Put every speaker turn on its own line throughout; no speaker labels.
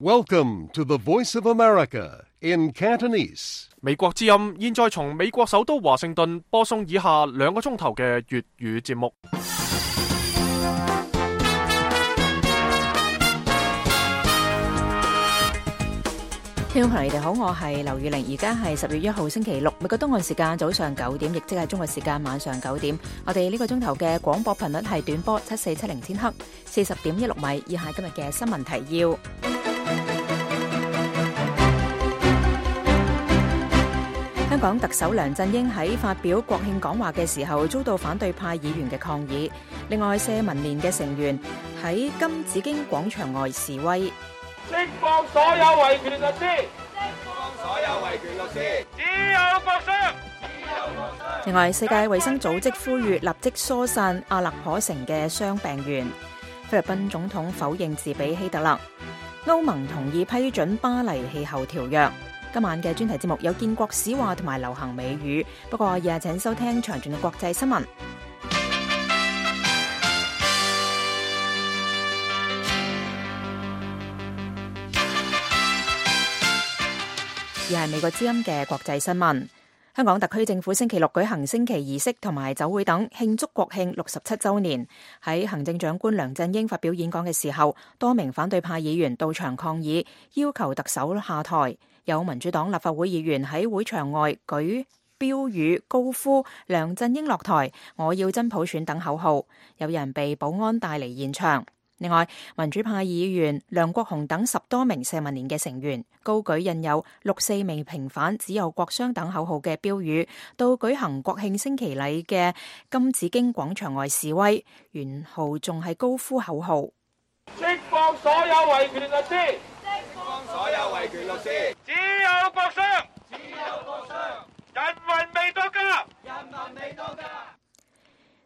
Welcome to the Voice of America in Cantonese.
美國之音現在從美國首都華盛頓播送以下2個鐘頭嘅粵語節目。
聽眾朋友，你哋好，我係劉宇玲，而家係10月1號星期六，美國東岸時間早上9點，亦即係中國時間晚上9點。我哋呢個鐘頭嘅廣播頻率係短波7470千赫，40.16米。以下今日嘅新聞提要：香港特首梁振英喺發表國慶講話嘅時候，遭到反對派議員嘅抗議。另外，社民連嘅成員喺金紫荊廣場外示威。
釋放所有維權律師，
釋放所有維權律師，
只有國殤，
只有國殤。
另外，世界衛生組織呼籲立即疏散阿勒頗城嘅傷病員。菲律賓總統否認自比希特勒。歐盟同意批准巴黎氣候條約。今晚嘅專題節目有建國史話同埋流行美語，不過以下請收聽詳盡嘅國際新聞。而係美國之音嘅國際新聞。香港特區政府星期六舉行升旗儀式同埋酒會等，慶祝國慶67週年。喺行政長官梁振英發表演講嘅時候，多名反對派議員到場抗議，要求特首下台。有民主黨立法會議員喺會場外舉標語，高呼梁振英落台，我要真普選等口號。有人被保安帶離現場。另外，民主派議員梁國雄等10多名社民連嘅成員高舉印有6、4名平反只有國殤等口號嘅標語，到舉行國慶升旗禮嘅金紫荊廣場外示威，沿途仲係高呼口號：
釋放所有維權律師，
釋放所有維權律師，
只有國殤，
只有國殤。
人民未到家，
人民未到家。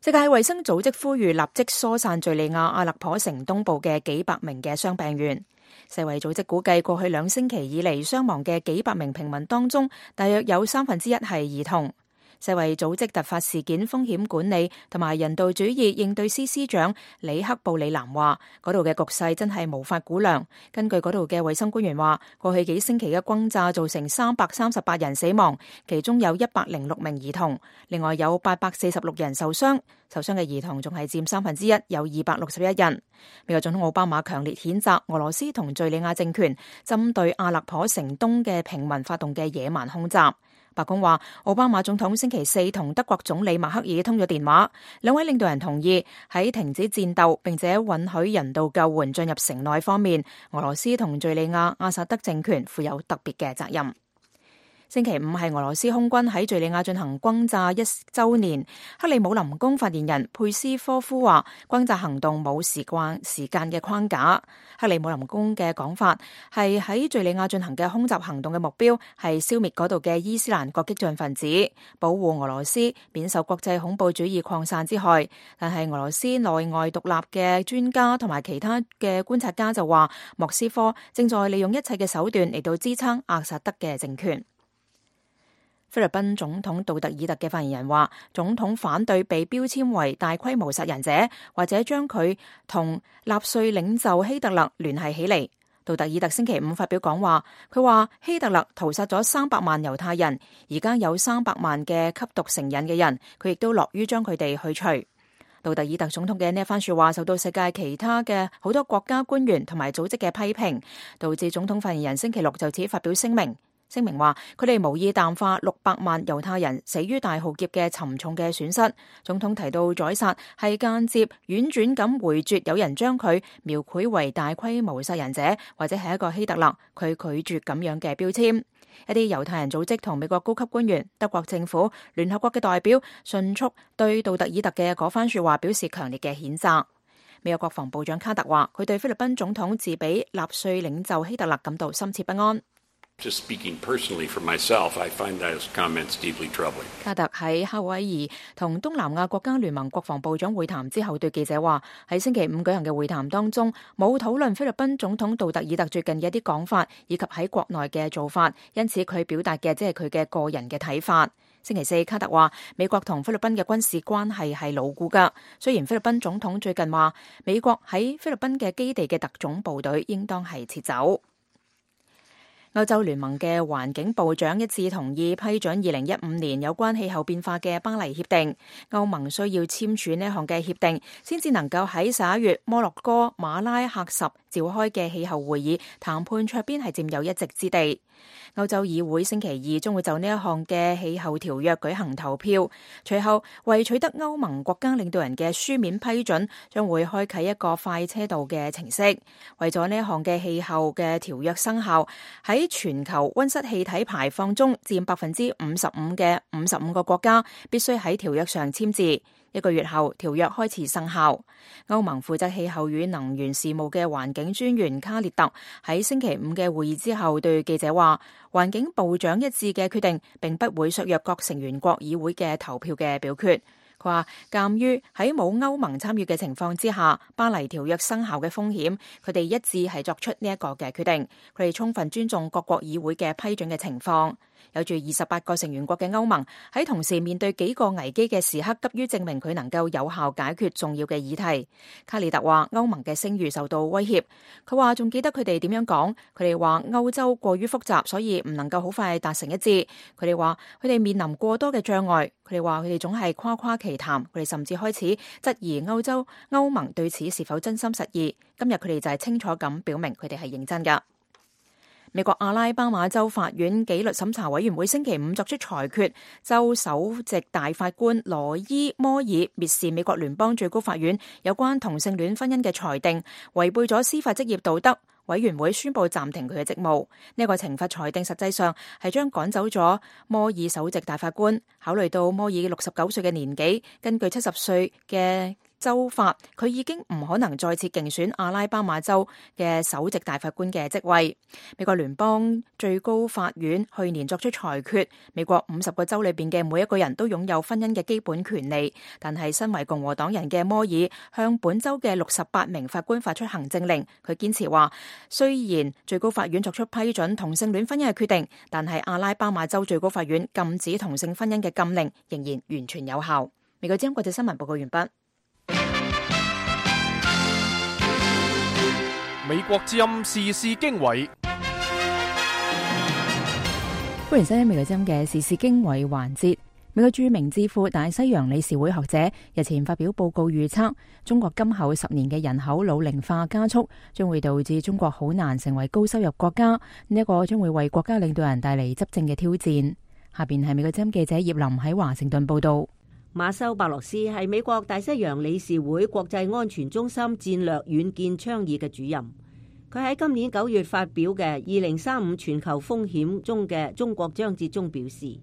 世界衛生組織呼籲立即疏散敘利亞阿勒頗城東部嘅幾百名嘅傷病員。世衛組織估計過去2星期以嚟傷亡嘅幾百名平民當中，大約有1/3係兒童。世衛組織突發事件風險管理同埋人道主義應對司司長里克布里南話，嗰度嘅局勢真係無法估量。根據嗰度嘅衛生官員話，過去幾星期嘅轟炸造成338人死亡，其中有106名兒童，另外有846人受傷。受傷嘅兒童仲係佔1/3，有261人。美國總統奧巴馬強烈譴責俄羅斯同敘利亞政權針對阿勒頗城東嘅平民發動嘅野蠻空襲。白宮話，奧巴馬總統星期4同德國總理默克爾通咗電話，兩位領導人同意喺停止戰鬥並且允許人道救援進入城內方面，俄羅斯同敘利亞阿薩德政權負有特別嘅責任。星期5係俄羅斯空軍喺敘利亞進行轟炸1週年。克里姆林宮發言人佩斯科夫話，轟炸行動冇時間嘅框架。克里姆林宮嘅講法係喺敘利亞進行嘅空襲行動嘅目標係消滅嗰度嘅伊斯蘭國激進分子，保護俄羅斯免受國際恐怖主義擴散之害。但係俄羅斯內外獨立嘅專家同埋其他嘅觀察家就話，莫斯科正在利用一切嘅手段嚟到支撐阿薩德嘅政權。菲律賓總統杜特爾特嘅發言人話，總統反對被標籤為大規模殺人者，或者將佢同納粹領袖希特勒聯繫起嚟。杜特爾特星期5發表講話，佢話希特勒屠殺咗300萬猶太人，而家有300萬嘅吸毒成癮嘅人，佢亦都樂於將佢哋去除。杜特爾特總統嘅呢一番說話受到世界其他嘅好多國家官員同埋組織嘅批評，導致總統發言人星期6就此發表聲明話，佢哋無意淡化600萬猶太人死於大浩劫嘅沉重嘅損失。總統提到宰殺係間接婉轉咁回絕有人將佢描繪為大規模殺人者或者係一個希特勒，佢拒絕咁樣嘅標籤。一啲猶太人組織同美國高級官員、德國政府、聯合國嘅代表迅速對杜特爾特嘅嗰番說話表示強烈嘅譴責。美國國防部長卡特話，佢對菲律賓總統自比納粹領袖希特勒感到深切不安。
Just speaking personally for myself, I find those comments deeply troubling.
卡特喺夏威夷同東南亞國家聯盟國防部長會談之後，對記者話：喺星期5舉行嘅會談當中，冇討論菲律賓總統杜特爾特最近嘅一啲講法，以及喺國內嘅做法，因此佢表達嘅即係佢嘅個人嘅睇法。星期4，卡特話美國同菲律賓嘅軍事關係係牢固㗎。雖然菲律賓總統最近話美國喺菲律賓嘅基地嘅特種部隊應當係撤走。歐洲聯盟嘅環境部長一致同意批准2015年有關氣候變化嘅巴黎協定。歐盟需要簽署呢項嘅協定，先至能夠喺11月摩洛哥馬拉喀什召開嘅氣候會議談判桌邊係佔有一席之地。歐洲議會星期二將會就呢一項嘅氣候條約舉行投票，隨後為取得歐盟國家領導人嘅書面批准，將會開啟一個快車道嘅程式。為咗呢一項嘅氣候嘅條約生效，喺全球溫室氣體排放中佔55%嘅55個國家必須喺條約上簽字。1個月後，條約開始生效。歐盟負責氣候與能源事務嘅環境專員卡列特喺星期5嘅會議之後對記者話，環境部長一致嘅決定並不會削弱各成員國議會嘅投票嘅表決。佢話，鑑於喺冇歐盟參與嘅情況之下，巴黎條約生效嘅風險，佢哋一致係作出呢一個嘅決定。佢哋充分尊重各國議會嘅批准嘅情況。有住28個成員國嘅歐盟喺同時面對幾個危機嘅時刻，急於證明佢能夠有效解決重要嘅議題。卡列特話歐盟嘅聲譽受到威脅。佢話仲記得佢哋點樣講，佢哋話歐洲過於複雜，所以唔能夠好快達成一致。佢哋話佢哋面臨過多嘅障礙。佢哋話佢哋總係誇誇其談。佢哋甚至開始質疑歐盟對此是否真心實意。今日佢哋就係清楚咁表明佢哋係認真㗎。美國阿拉巴馬州法院紀律審查委員會星期5作出裁決，州首席大法官羅伊摩爾蔑視美國聯邦最高法院有關同性戀婚姻嘅裁定，違背咗司法職業道德。委員會宣布暫停佢嘅職務。呢個懲罰裁定實際上係將趕走咗摩爾首席大法官。考慮到摩爾69歲嘅年紀，根據70歲嘅州法，佢已經唔可能再次競選阿拉巴馬州嘅首席大法官嘅職位。美國聯邦最高法院去年作出裁決，美國50個州裏邊嘅每一個人都擁有婚姻嘅基本權利，但係身為共和黨人嘅摩爾向本州嘅68名法官發出行政令。佢堅持話，雖然最高法院作出批准同性戀婚姻嘅決定，但係阿拉巴馬州最高法院禁止同性婚姻嘅禁令仍然完全有效。美國之音國際新聞報告完畢。
美國之音時事經緯，
歡迎收聽美國之音嘅時事經緯環節。美國著名智庫大西洋理事會學者日前發表報告，預測中國今後10年嘅人口老齡化加速，將會導致中國好難成為高收入國家。呢一個將會為國家領導人帶嚟執政嘅挑戰。下邊係美國之音記者葉林喺華盛頓報道。
馬修·伯羅斯係美國大西洋理事會國際安全中心戰略遠見倡議嘅主任。佢喺今年9月發表嘅2035全球風險中嘅中國章節中表示，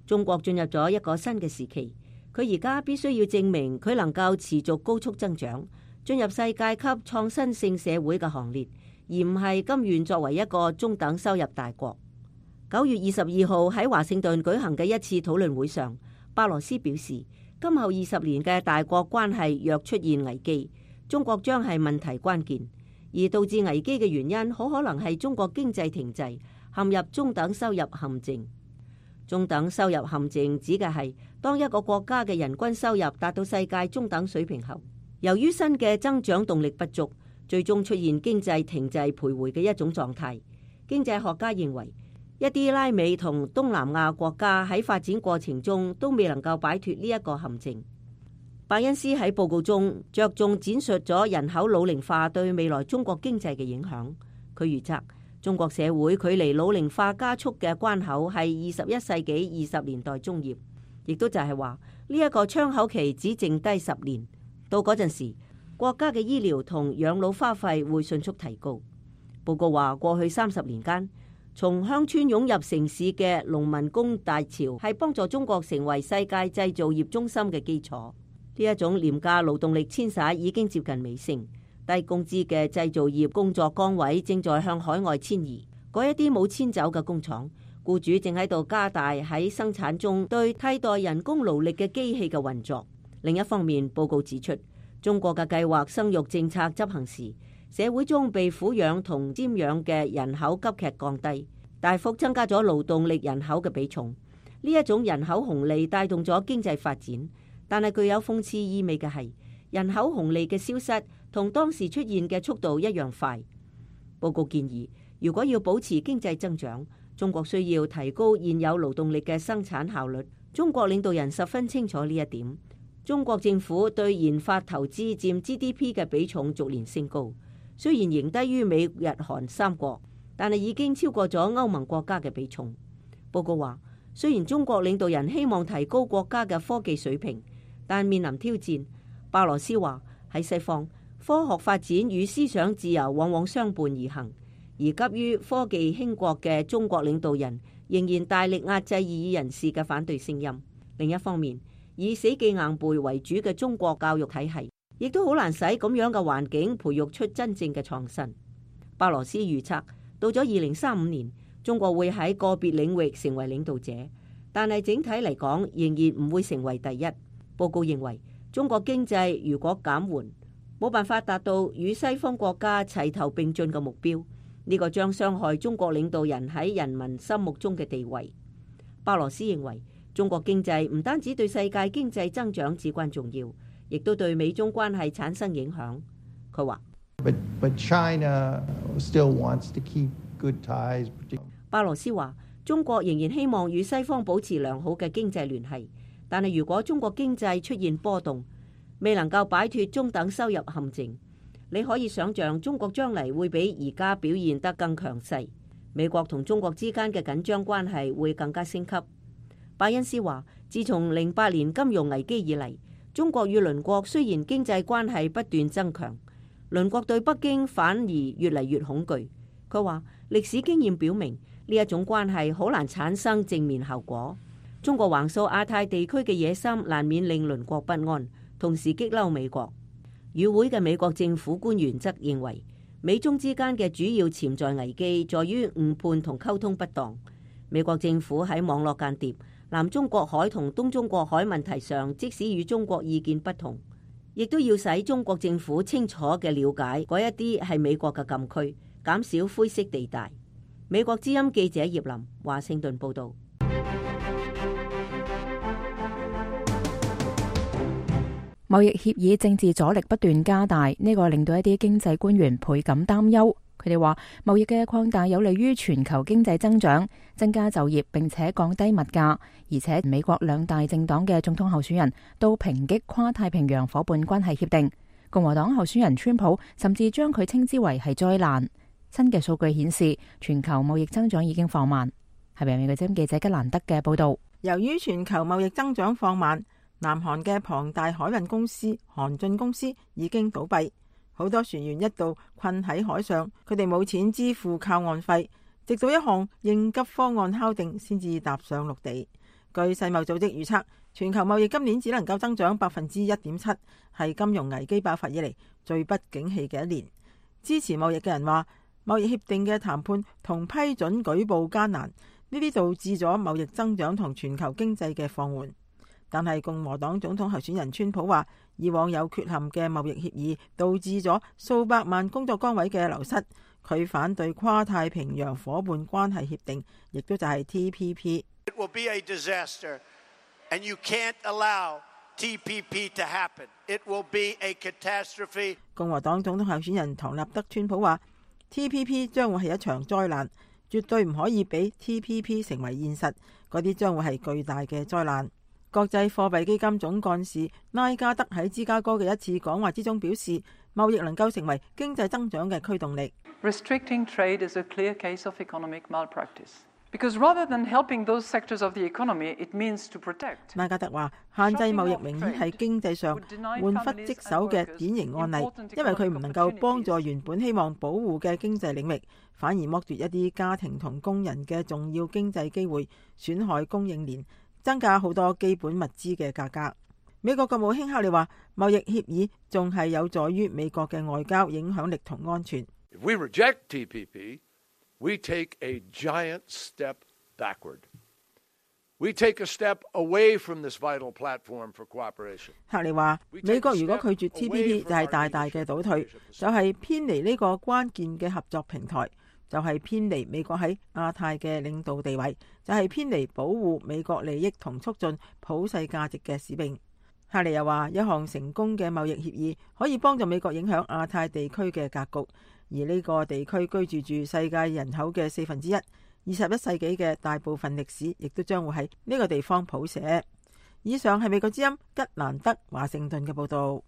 中國進入咗一個新嘅時期。佢而家必須要證明佢能夠持續高速增長，進入世界級創新性社會嘅行列，而唔係甘願作為一個中等收入大國。9月22號喺華盛頓舉行嘅一次討論會上，伯羅斯表示，今後20年嘅大國關係若出現危機，中國將係問題關鍵，而導致危機嘅原因好可能係中國經濟停滯，陷入中等收入陷阱。中等收入陷阱指嘅係當一個國家嘅人均收入達到世界中等水平後，由於新嘅增長動力不足，最終出現經濟停滯徘徊嘅一種狀態。經濟學家認為，一啲拉美同東南亞國家喺發展過程中都未能夠擺脫呢一個陷阱。伯恩斯喺報告中着重闡述咗人口老齡化對未來中國經濟嘅影響。佢預測中國社會距離老齡化加速嘅關口係21世紀20年代中葉，亦都就係話呢一個窗口期只剩低10年。到嗰陣時，國家嘅醫療同養老花費會迅速提高。報告話，過去30年間，從鄉村湧入城市嘅農民工大潮係幫助中國成為世界製造業中心嘅基礎。呢一種廉價勞動力遷徙已經接近尾聲，低工資嘅製造業工作崗位正在向海外遷移。嗰一啲冇遷走嘅工廠，僱主正喺度加大喺生產中對替代人工勞力嘅機器嘅運作。另一方面，報告指出，中國嘅計劃生育政策執行時，社會中被撫養同瞻仰嘅人口急劇降低，大幅增加咗勞動力人口嘅比重。呢一種人口紅利帶動咗經濟發展，但係具有諷刺意味嘅係，人口紅利嘅消失同當時出現嘅速度一樣快。報告建議，如果要保持經濟增長，中國需要提高現有勞動力嘅生產效率。中國領導人十分清楚呢一點。中國政府對研發投資佔 GDP 嘅比重逐年升高，雖然仍低於美日韓三國，但係已經超過咗歐盟國家嘅比重。報告話，雖然中國領導人希望提高國家嘅科技水平，但面臨挑戰。巴羅斯話，喺西方，科學發展與思想自由往往相伴而行，而急於科技興國嘅中國領導人仍然大力壓制異議人士嘅反對聲音。另一方面，以死記硬背為主嘅中國教育體系，亦都好難使咁樣嘅環境培育出真正嘅創新。巴羅斯預測，到咗2035年，中國會喺個別領域成為領導者，但係整體嚟講，仍然唔會成為第一。報告認為，中國經濟如果減緩，冇辦法達到與西方國家齊頭並進嘅目標，呢個將傷害中國領導人喺人民心目中嘅地位。巴羅斯認為，中國經濟唔單止對世界經濟增長至關重要，亦都對美中關係產生影響。佢話
：But China still wants to keep good ties.
巴羅斯話：中國仍然希望與西方保持良好嘅經濟聯繫，但係如果中國經濟出現波動，未能夠擺脫中等收入陷阱，你可以想象中國將嚟會比而家表現得更強勢。美國同中國之間嘅緊張關係會更加升級。拜恩斯話：自從08年金融危機以嚟，中國與鄰國雖然經濟關係不斷增強，鄰國對北京反而越嚟越恐懼。佢話：歷史經驗表明呢一種關係好難產生正面效果。中國橫掃亞太地區嘅野心難免令鄰國不安，同時激嬲美國。與會嘅美國政府官員則認為，美中之間嘅主要潛在危機在於誤判同溝通不當。美國政府喺網絡間諜、南中國海同東中國海問題上，即使與中國意見不同，亦都要使中國政府清楚嘅了解嗰一啲係美國嘅禁區，減少灰色地帶。美國之音記者葉林，華盛頓報道。
貿易協議政治阻力不斷加大，呢個令到一啲經濟官員倍感擔憂。佢哋話，貿易嘅擴大有利於全球經濟增長，增加就業，並且降低物價。而且美國兩大政黨嘅總統候選人都抨擊跨太平洋夥伴關係協定。共和黨候選人川普甚至將佢稱之為係災難。新嘅數據顯示，全球貿易增長已經放慢。係美國之音記者吉蘭德嘅報道。
由於全球貿易增長放慢，南韓嘅龐大海運公司韓進公司已經倒閉。好多船員一度困喺海上，佢哋冇錢支付靠岸費，直到一項應急方案敲定先至踏上陸地。據世貿組織預測，全球貿易今年只能夠增長1.7%，係金融危機爆發以嚟最不景氣嘅一年。支持貿易嘅人話，貿易協定嘅談判同批准舉步艱難，呢啲導致咗貿易增長同全球經濟嘅放緩。但係共和黨總統候選人川普話，以往有缺陷嘅貿易協議導致咗數百萬工作崗位嘅流失。佢反對跨太平洋夥伴關係協定，亦都就係 TPP。It will be a disaster, and you can't allow TPP to happen. It will be a catastrophe. 共和黨總統候選人唐納德川普話 ，TPP 將會係一場災難，絕對唔可以俾 TPP 成為現實，嗰啲將會係巨大嘅災難。國際貨幣基金總幹事拉加德喺芝加哥嘅一次講話之中表示，貿易能夠成為經濟增長嘅驅動力。
Restricting trade is a clear case of economic malpractice. Because rather than helping those sectors of the economy, it means to protect.
拉加德話，限制貿易明顯係經濟上玩忽職守嘅典型案例，因為佢唔能夠幫助原本希望保護嘅經濟領域，反而剝奪一啲家庭同工人嘅重要經濟機會，損害供應鏈，增加好多基本物資嘅價格。美國國務卿克里話，貿易協議仲係有助於美國嘅外交影響力同安全。
If we reject TPP, we take a giant step backward. We take a step away from this vital platform for cooperation.
克里話，美國如果拒絕 TPP 就係大大嘅倒退，就係偏離呢個關鍵嘅合作平台，就係偏離美國喺亞太嘅領導地位，就係偏離保護美國利益同促進普世價值嘅使命。克里又話，一項成功嘅貿易協議可以幫助美國影響亞太地區嘅格局。而呢個地區居住住世界人口嘅1/4。21世紀嘅大部分歷史亦都將會喺呢個地方譜寫。以上係美國之音吉蘭德華盛頓嘅報導。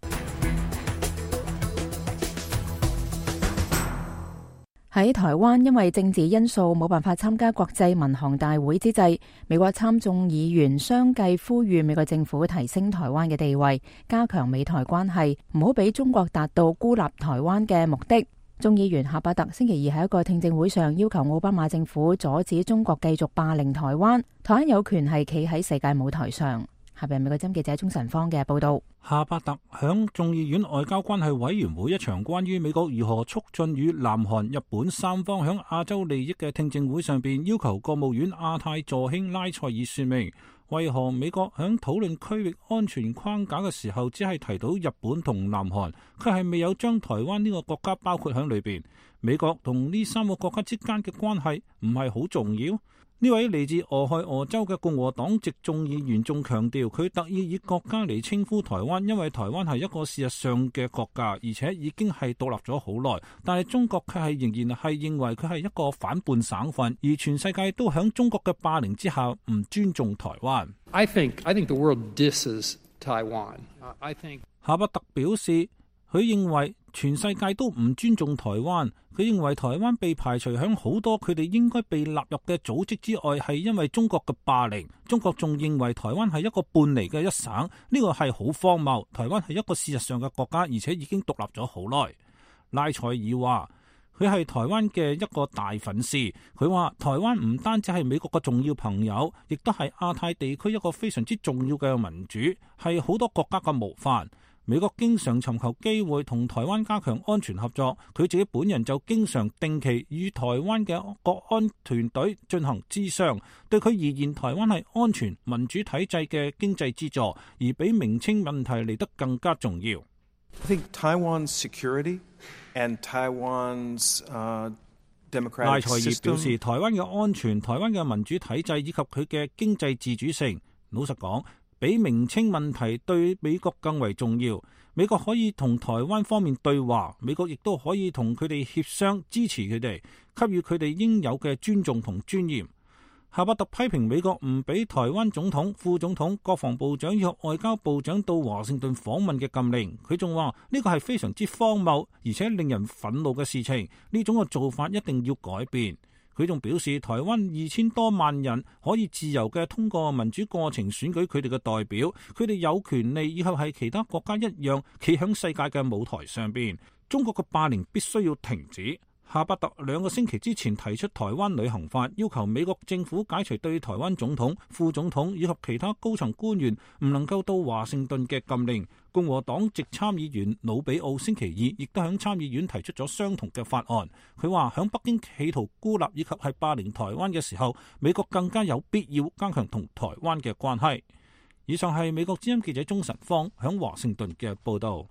喺台灣因為政治因素冇辦法參加國際民航大會之際，美國參眾議員相繼呼籲美國政府提升台灣嘅地位，加強美台關係，唔好俾中國達到孤立台灣嘅目的。眾議員夏伯特星期二喺一個聽證會上要求奧巴馬政府阻止中國繼續霸凌台灣，台灣有權係企喺世界舞台上。下邊美國針記者鍾晨芳嘅報道。
夏伯特響眾議院外交關係委員會一場關於美國如何促進與南韓、日本三方響亞洲利益嘅聽證會上邊，要求國務院亞太助卿拉塞爾說明，為何美國響討論區域安全框架嘅時候，只係提到日本同南韓，佢係未有將台灣呢個國家包括響裏邊。美國同呢三個國家之間嘅關係唔係好重要。呢位嚟自俄亥俄州嘅共和黨籍眾議員仲強調，佢特意以國家嚟稱呼台灣，因為台灣係一個事實上嘅國家，而且已經係獨立咗好耐。但係中國卻係仍然係認為佢係一個反叛省份，而全世界都響中國嘅霸凌之下唔尊重台灣。
I think the world disses Taiwan. I think
夏伯特表示，佢認為全世界都唔尊重台灣。佢認為台灣被排除響好多佢哋應該被納入嘅組織之外，係因為中國嘅霸凌。中國仲認為台灣係一個半離嘅一省，呢個係好荒謬。台灣係一個事實上嘅國家，而且已經獨立咗好耐。拉塞爾話佢係台灣嘅一個大粉絲。佢話台灣唔單止係美國嘅重要朋友，亦都係亞太地區一個非常之重要嘅民主，係好多國家嘅模範。美國經常尋求機會同台灣加強安全合作，佢自己本人就經常定期與台灣嘅國安團隊進行諮商。對佢而言，台灣係安全民主體制嘅經濟支柱，而比名稱問題嚟得更加重要。
I think Taiwan's security and Taiwan's democratic system。
賴塞爾表示，台灣嘅安全、台灣嘅民主體制以及佢嘅經濟自主性，老實講，比名稱問題對美國更為重要。美國可以同台灣方面對話，美國亦都可以同佢哋協商，支持佢哋，給予佢哋應有嘅尊重同尊嚴。夏伯特批評美國唔俾台灣總統、副總統、國防部長以及外交部長到華盛頓訪問嘅禁令。佢仲話呢個係非常之荒謬，而且令人憤怒嘅事情。呢種嘅做法一定要改變。佢仲表示，台灣2000多萬人可以自由嘅通過民主過程選舉佢哋嘅代表，佢哋有權利以後係其他國家一樣企響世界嘅舞台上邊。中國嘅霸凌必須要停止。夏伯特2個星期之前提出台灣旅行法，要求美國政府解除對台灣總統、副總統以及其他高層官員唔能夠到華盛頓嘅禁令。共和黨籍參議員魯比奧星期二亦都響參議院提出咗相同嘅法案。佢話響北京企圖孤立以及係霸凌台灣嘅時候，美國更加有必要加強同台灣嘅關係。以上係美國之音記者鍾晨芳響華盛頓嘅報道。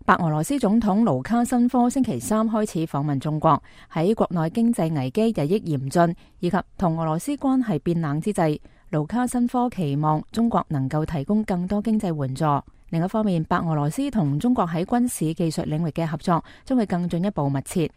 白俄羅斯總統盧卡申科星期3開始訪問中國，喺國內經濟危機日益嚴峻以及同俄羅斯關係變冷之際，盧卡申科期望中國能夠提供更多經濟援助。另一方面，白俄羅斯同中國喺軍事技術領域嘅合作將會更進一步密切。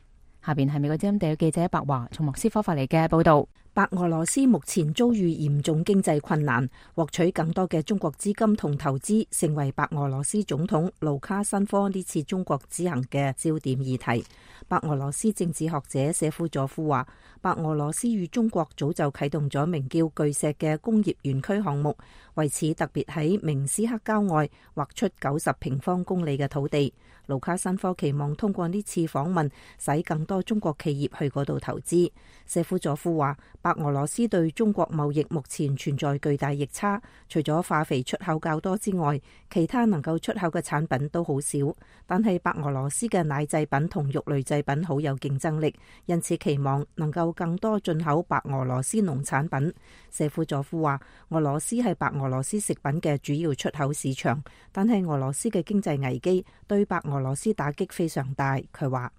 下邊係美國之音地嘅記者白華從莫斯科發嚟嘅報道。
白俄羅斯目前遭遇嚴重經濟困難，獲取更多嘅中國資金同投資，成為白俄羅斯總統盧卡申科呢次中國之行嘅焦點議題。白俄羅斯政治學者謝夫佐夫話，白俄羅斯與中國早就啟動咗名叫巨石嘅工業園區項目，為此特別喺明斯克郊外劃出90平方公里嘅土地。盧卡申科期望通過呢次訪問，使更多中國企業去嗰度投資。謝夫佐夫話，白俄羅斯對中國貿易目前存在巨大逆差，除咗化肥出口較多之外，其他能夠出口嘅產品都好少。但係白俄羅斯嘅奶製品同肉類製品好有競爭力，因此期望能夠更多進口白俄羅斯農產品。謝夫佐夫話，俄羅斯係白俄羅斯食品嘅主要出口市場，但係俄羅斯嘅經濟危機對白俄羅斯打擊非常大。佢話，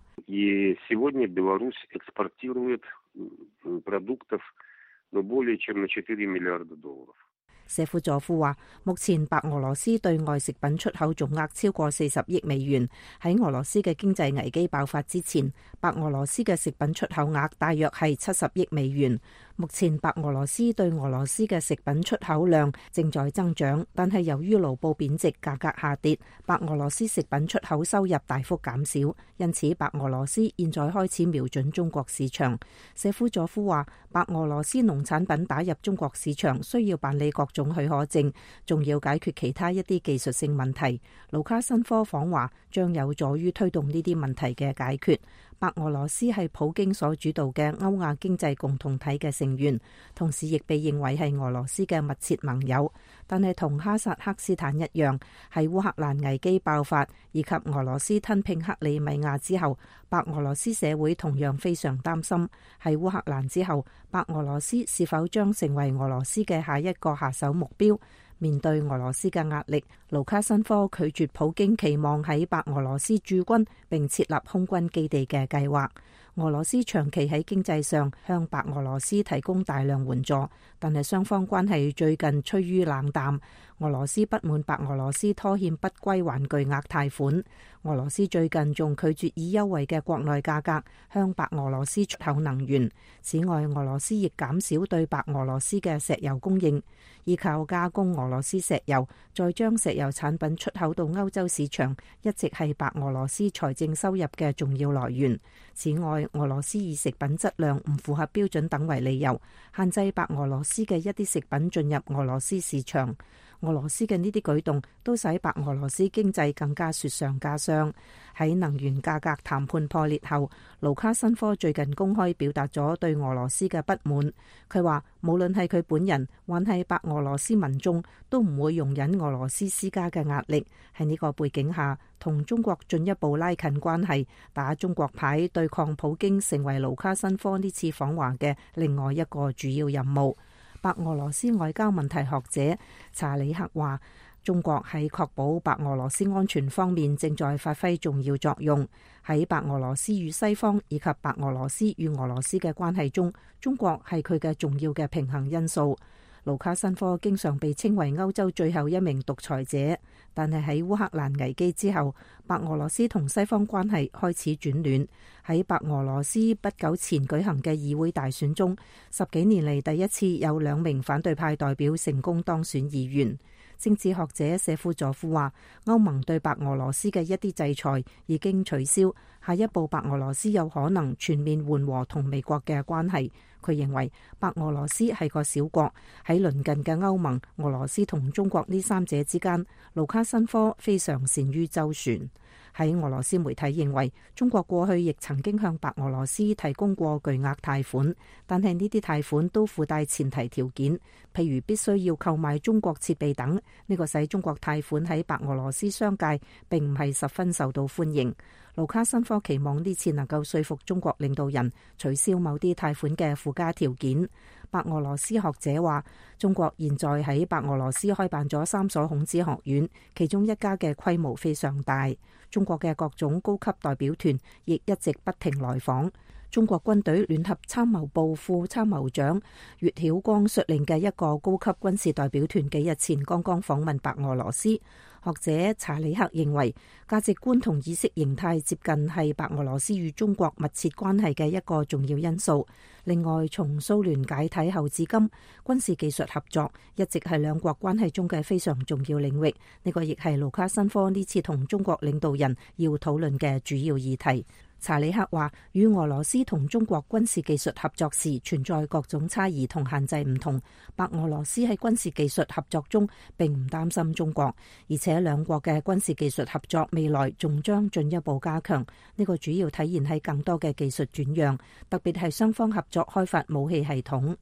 謝夫佐夫話，目前白俄羅斯對外食品出口總額超過40億美元。喺俄羅斯嘅經濟危機爆發之前，白俄羅斯嘅食品出口額大約係70億美元。目前白俄羅斯對俄羅斯嘅食品出口量正在增長，但係由於盧布貶值、價格下跌，白俄羅斯食品出口收入大幅減少，因此白俄羅斯現在開始瞄準中國市場。謝夫佐夫話，白俄羅斯農產品打入中國市場需要辦理各種許可證，仲要解決其他一啲技術性問題。盧卡申科訪華將有助於推動呢啲問題嘅解決。白俄羅斯係普京所主導嘅歐亞經濟共同體嘅成員，同時亦被認為係俄羅斯嘅密切盟友。但係同哈薩克斯坦一樣，喺烏克蘭危機爆發以及俄羅斯吞併克里米亞之後，白俄羅斯社會同樣非常擔心，喺烏克蘭之後，白俄羅斯是否將成為俄羅斯嘅下一個下手目標？面對俄羅斯嘅壓力，盧卡申科拒絕普京期望喺白俄羅斯駐軍並設立空軍基地嘅計劃。俄羅斯長期喺經濟上向白俄羅斯提供大量援助，但係雙方關係最近趨於冷淡。俄羅斯不滿白俄羅斯拖欠不歸還巨額貸款，俄羅斯最近仲拒絕以優惠嘅國內價格向白俄羅斯出口能源。此外，俄羅斯亦減少對白俄羅斯嘅石油供應，依靠加工俄羅斯石油，再將石油產品出口到歐洲市場，一直係白俄羅斯財政收入嘅重要來源。此外，俄羅斯以食品質量唔符合標準等為理由，限制白俄羅斯嘅一啲食品進入俄羅斯市場。俄羅斯嘅呢啲舉動都使白俄羅斯經濟更加雪上加霜。喺能源價格談判破裂後，盧卡申科最近公開表達咗對俄羅斯嘅不滿。佢話無論係佢本人還係白俄羅斯民眾，都唔會容忍俄羅斯施加嘅壓力。喺呢個背景下，同中國進一步拉近關係，打中國牌對抗普京，成為盧卡申科呢次訪華嘅另外一個主要任務。白俄羅斯外交問題學者查理克話，中國喺確保白俄羅斯安全方面正在發揮重要作用。喺白俄羅斯與西方以及白俄羅斯與俄羅斯嘅關係中，中國係佢嘅重要嘅平衡因素。盧卡申科經常被稱為歐洲最後一名獨裁者，但係喺烏克蘭危機之後，白俄羅斯同西方關係開始轉暖。喺白俄羅斯不久前舉行嘅議會大選中，10幾年嚟第一次有2名反對派代表成功當選議員。政治學者謝夫佐夫話，歐盟對白俄羅斯嘅一啲制裁已經取消，下一步白俄羅斯有可能全面緩和同美國嘅關係。佢認為白俄羅斯係個小國，喺鄰近嘅歐盟、俄羅斯同中國呢三者之間，盧卡申科非常善於周旋。喺俄羅斯媒體認為，中國過去亦曾經向白俄羅斯提供過巨額貸款，但係呢啲貸款都附帶前提條件，譬如必須要購買中國設備等。呢個使中國貸款喺白俄羅斯商界並唔係十分受到歡迎。盧卡申科期望呢次能夠說服中國領導人取消某啲貸款嘅附加條件。白俄羅斯學者話，中國現在喺白俄羅斯開辦咗3所孔子學院，其中一家嘅規模非常大。中國嘅各種高級代表團亦一直不停來訪。中國軍隊聯合參謀部副參謀長岳曉光率領嘅一個高級軍事代表團幾日前剛剛訪問白俄羅斯。學者查理克認為，價值觀同意識形態接近係白俄羅斯與中國密切關係嘅一個重要因素。另外，從蘇聯解體後至今，軍事技術合作一直係兩國關係中嘅非常重要領域。呢個亦係盧卡申科呢次同中國領導人要討論嘅主要議題。查理克話，與俄羅斯同中國軍事技術合作時存在各種差異同限制唔同。白俄羅斯喺軍事技術合作中並唔擔心中國，而且兩國嘅軍事技術合作未來仲將進一步加強。呢個主要體現喺更多嘅技術轉讓，特別係雙方合作開發武器系統。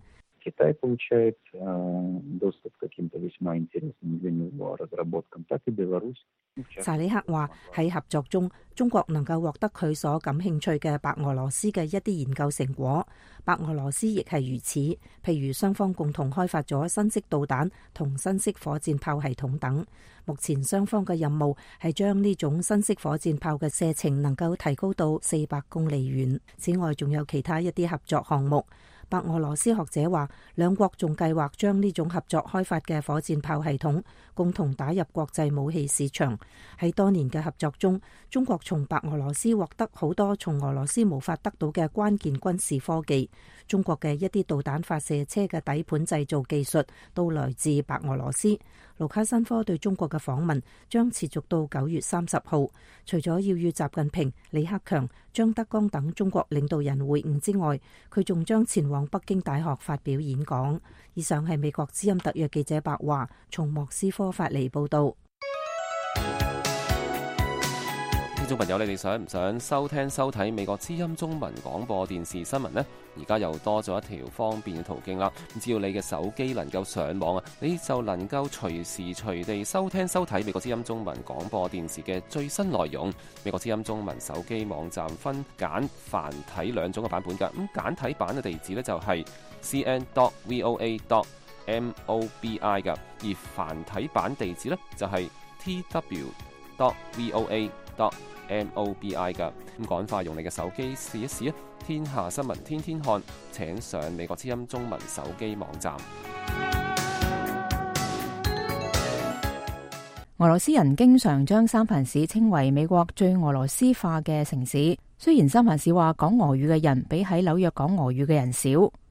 查理克話，喺合作中，中國能夠獲得佢所感興趣嘅白俄羅斯嘅一啲研究成果，白俄羅斯亦係如此。譬如雙方共同開發咗新式導彈同新式火箭炮系統等。目前雙方嘅任務係將呢種新式火箭炮嘅射程能夠提高到400公里遠。此外，仲有其他一啲合作項目。白俄羅斯學者話，兩國仲計劃將呢種合作開發嘅火箭炮系統共同打入國際武器市場。喺多年嘅合作中，中國從白俄羅斯獲得好多從俄羅斯無法得到嘅關鍵軍事科技。中國嘅一啲導彈發射車嘅底盤製造技術都來自白俄羅斯。盧卡申科對中國嘅訪問將持續到9月30號。除咗要與習近平、李克強、張德江等中國領導人會晤之外，佢仲將前往北京大學發表演講。以上係美國之音特約記者白華從莫斯科發嚟報道。
聽眾朋友，你哋想唔想收聽收睇美國之音中文廣播電視新聞呢？而家又多咗一條方便嘅途徑啦！只要你嘅手機能夠上網啊，你就能夠隨時隨地收聽收睇美國之音中文廣播電視嘅最新內容。美國之音中文手機網站分簡繁體兩種嘅版本㗎。咁簡體版嘅地址呢，就係 cn.voa.mobi 㗎，而繁體版地址呢，就係 tw.voa.mobi 噶。咁趕快用你嘅手機試一試啊！天下新聞天天看，請上美國之音中文手機網站。
俄羅斯人經常將三藩市稱為美國最俄羅斯化嘅城市。雖然三藩市話講俄語嘅人比喺紐約講俄語嘅人少。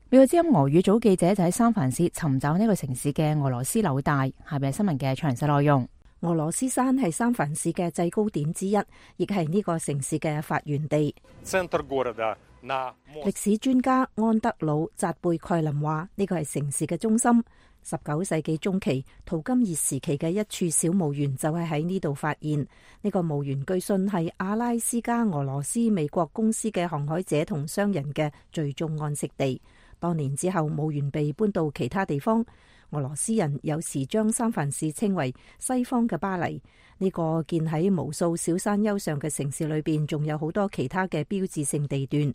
美國之音俄語組記者就喺三藩市尋找呢個城市嘅俄羅斯紐帶。下邊係新聞嘅詳細內容。
俄羅斯山係三藩市嘅制高點之一，亦係呢個城市嘅發源地。歷史專家安德魯扎貝蓋林話：呢個係城市嘅中心。19世紀中期，淘金熱時期嘅一處小墓園就係喺呢度發現。呢個墓園據信係阿拉斯加俄羅斯美國公司嘅航海者同商人嘅最終安息地。多年之後，墓園被搬到其他地方。俄羅斯人有時將三藩市稱為西方嘅巴黎。呢個建喺無數小山丘上嘅城市裏邊，仲有好多其他嘅標誌性地段。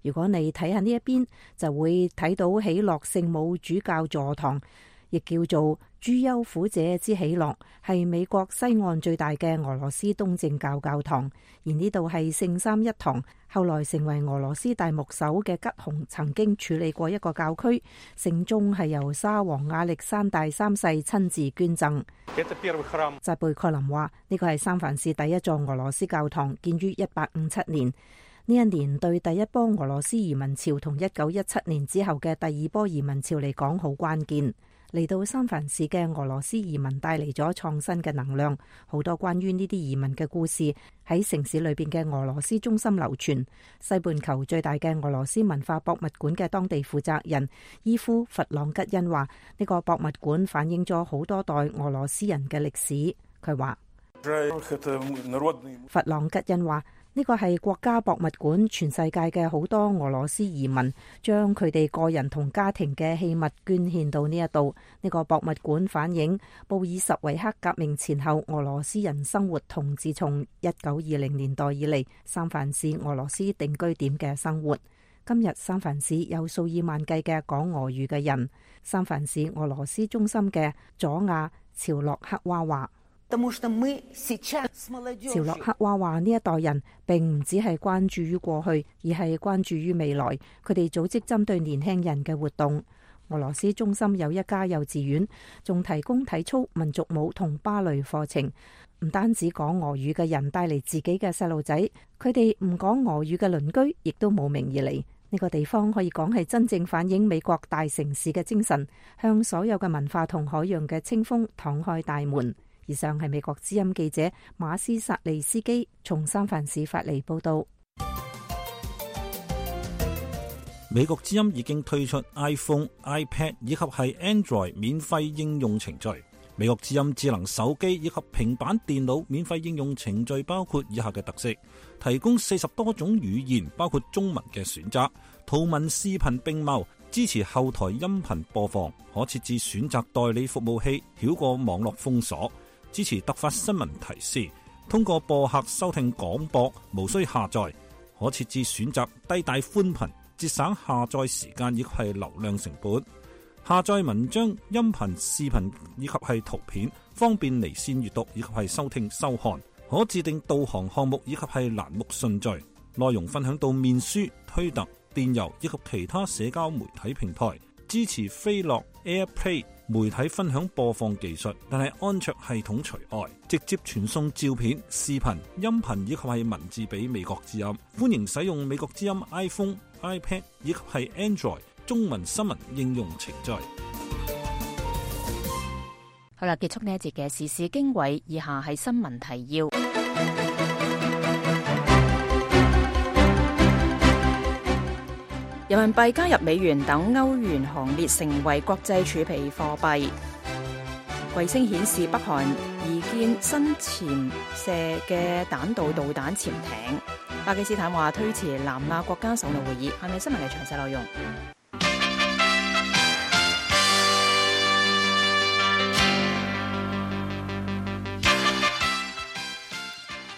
如果你睇下呢一邊，就會睇到喜樂聖母主教座堂，亦叫做諸丘苦者之喜樂，係美國西岸最大嘅俄羅斯東正教教堂。而呢度係聖三一堂，後來成為俄羅斯大牧首嘅吉洪曾經處理過一個教區。聖宗係由沙皇亞歷山大三世親自捐贈。扎貝蓋林話：呢個係三藩市第一座俄羅斯教堂，建於1857年。呢一年對第一波俄羅斯移民潮同1917年之後嘅第二波移民潮嚟講好關鍵。嚟到三藩市嘅俄羅斯移民帶嚟咗創新嘅能量，好多關於呢啲移民嘅故事喺城市裏邊嘅俄羅斯中心流傳。西半球最大嘅俄羅斯文化博物館嘅當地負責人伊夫弗朗吉恩話：呢個博物館反映咗好多代俄羅斯人嘅歷史。佢話：弗朗吉恩話，呢個係國家博物館，全世界嘅好多俄羅斯移民將佢哋個人同家庭嘅器物捐獻到呢一度。呢個博物館反映布爾什維克革命前後俄羅斯人生活同自從1920年代以嚟三藩市俄羅斯定居點嘅生活。今日三藩市有數以萬計嘅講俄語嘅人。三藩市俄羅斯中心嘅佐亞朝洛克娃話：朝洛克娃話呢一代人並唔只係關注於過去，而係關注於未來。佢哋組織針對年輕人嘅活動。俄羅斯中心有一家幼稚園，仲提供體操、民族舞同芭蕾課程。唔單止講俄語嘅人帶嚟自己嘅細路仔，佢哋唔講俄語嘅鄰居亦都慕名而嚟。呢個地方可以講係真正反映美國大城市嘅精神，向所有嘅文化同海洋嘅清風敞開大門。以上係美國之音記者馬斯薩利斯基從三藩市發嚟報道。
美國之音已經推出 iPhone、iPad 以及係 Android 免費應用程序。美國之音智能手機以及平板電腦免費應用程序包括以下嘅特色：提供40多種語言，包括中文嘅選擇，圖文視頻並茂，支持後台音頻播放，可設置選擇代理服務器，繞過網絡封鎖，支持突發新聞提示，通過播客收聽廣播，無需下載，可設置選擇低帶寬頻，節省下載時間以及係流量成本。下載文章、音頻、視頻以及係圖片，方便離線閱讀以及係收聽收看。可自定導航項目以及係欄目順序。內容分享到面書、推特、電郵以及其他社交媒體平台，支持飛樂 AirPlay 媒體分享播放技術，但係安卓系統除外，直接傳送照片、視頻、音頻以及係文字俾美國之音。歡迎使用美國之音 iPhone、iPad 以及係 Android 中文新聞應用程序。
好啦，結束呢一節嘅時事經緯，以下係新聞提要。人民幣加入美元等歐元行列，成為國際儲備貨幣。衛星顯示北韓擬建新潛射嘅彈道導彈潛艇。巴基斯坦話推遲南亞國家首腦會議。係咪新聞嘅詳細內容？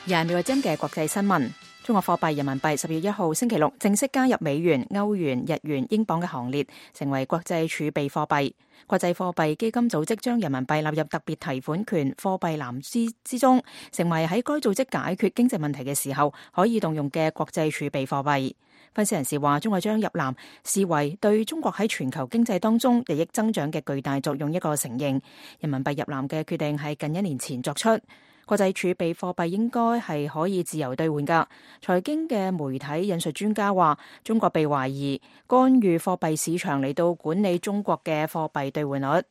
又係美國之音嘅國際新聞。中國貨幣人民幣10月1號星期六正式加入美元、歐元、日元、英鎊嘅行列，成為國際儲備貨幣。國際貨幣基金組織將人民幣納入特別提款權貨幣籃子之中，成為喺該組織解決經濟問題嘅時候可以動用嘅國際儲備貨幣。分析人士話，中國將入籃視為對中國喺全球經濟當中日益增長嘅巨大作用一個承認。人民幣入籃嘅決定係近1年前作出。國際儲備貨幣應該係可以自由兌換㗎。財經嘅媒體引述專家話，中國被懷疑干預貨幣市場嚟到管理中國嘅貨幣兌換率。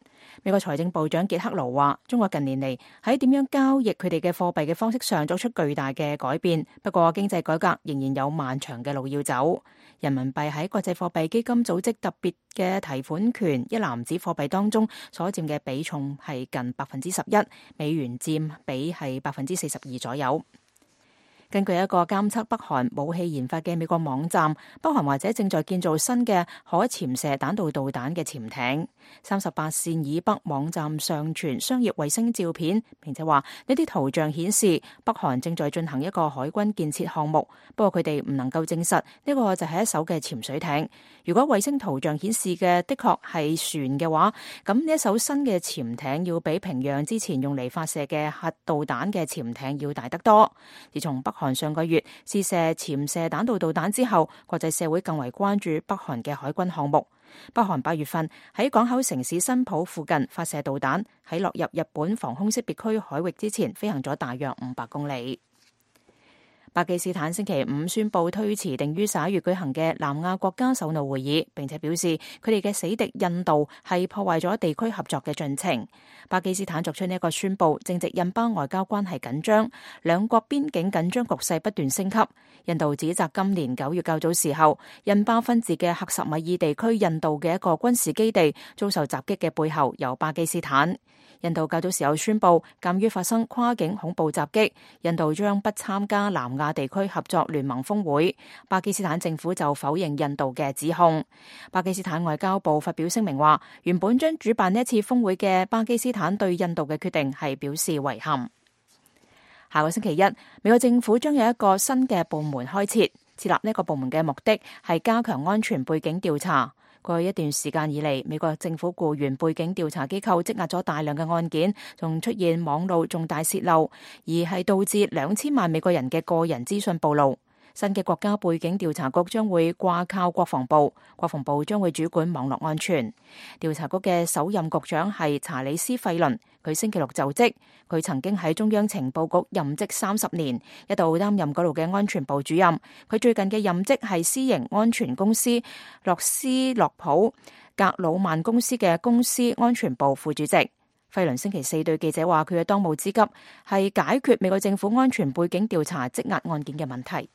美國財政部長傑克盧話，中國近年嚟喺點樣交易佢哋嘅貨幣嘅方式上作出巨大嘅改變，不過經濟改革仍然有漫長嘅路要走。人民幣喺國際貨幣基金組織特別嘅提款權一籃子貨幣當中所佔嘅比重係近11%，美元佔比係42%左右。根據一個監測北韓武器研發嘅美國網站，北韓或者正在建造新嘅可潛射彈道導彈嘅潛艇。38線以北網站上傳商業衛星照片，並且話呢啲圖像顯示北韓正在進行一個海軍建設項目，不過佢哋唔能夠證實呢個就係一艘嘅潛水艇。如果衛星圖像顯示嘅的確係船嘅話，咁呢一艘新嘅潛艇要比平壤之前用嚟發射嘅核導彈嘅潛艇要大得多。自從北韓上個月試射潛射彈道導彈之後，國際社會更為關注北韓嘅海軍項目。北韓8月份喺港口城市新浦附近發射導彈，喺落入日本防空識別區海域之前飛行咗大約500公里。巴基斯坦星期五宣布推遲定於11月舉行嘅南亞國家首腦會議，並且表示佢哋嘅死敵印度係破壞咗地區合作嘅進程。巴基斯坦作出呢一個宣布，正值印巴外交關係緊張，兩國邊境緊張局勢不斷升級。印度指責今年9月較早時候，印巴分治嘅克什米爾地區印度嘅一個軍事基地遭受襲擊嘅背後有巴基斯坦。印度較早時候宣布，鑑於發生跨境恐怖襲擊，印度將不參加南亞地區合作聯盟峰會。巴基斯坦政府就否認印度嘅指控。巴基斯坦外交部發表聲明話，原本將主辦呢一次峰會嘅巴基斯坦對印度嘅決定係表示遺憾。下個星期一，美國政府將有一個新嘅部門開設，設立呢個部門嘅目的係加強安全背景調查。過去一段時間以嚟，美國政府僱員背景調查機構積壓咗大量嘅案件，仲出現網路重大洩漏，而係導致2000萬美國人嘅個人資訊暴露。新嘅國家背景調查局將會掛靠國防部，國防部將會主管網絡安全。調查局嘅首任局長係查理斯費倫，佢星期六就職。佢曾經喺中央情報局任職30年，一度擔任嗰度嘅安全部主任。佢最近嘅任職係私營安全公司洛斯洛普格魯曼公司嘅公司安全部副主席。費倫星期4對記者話，佢嘅當務之急係解決美國政府安全背景調查積壓案件嘅問題。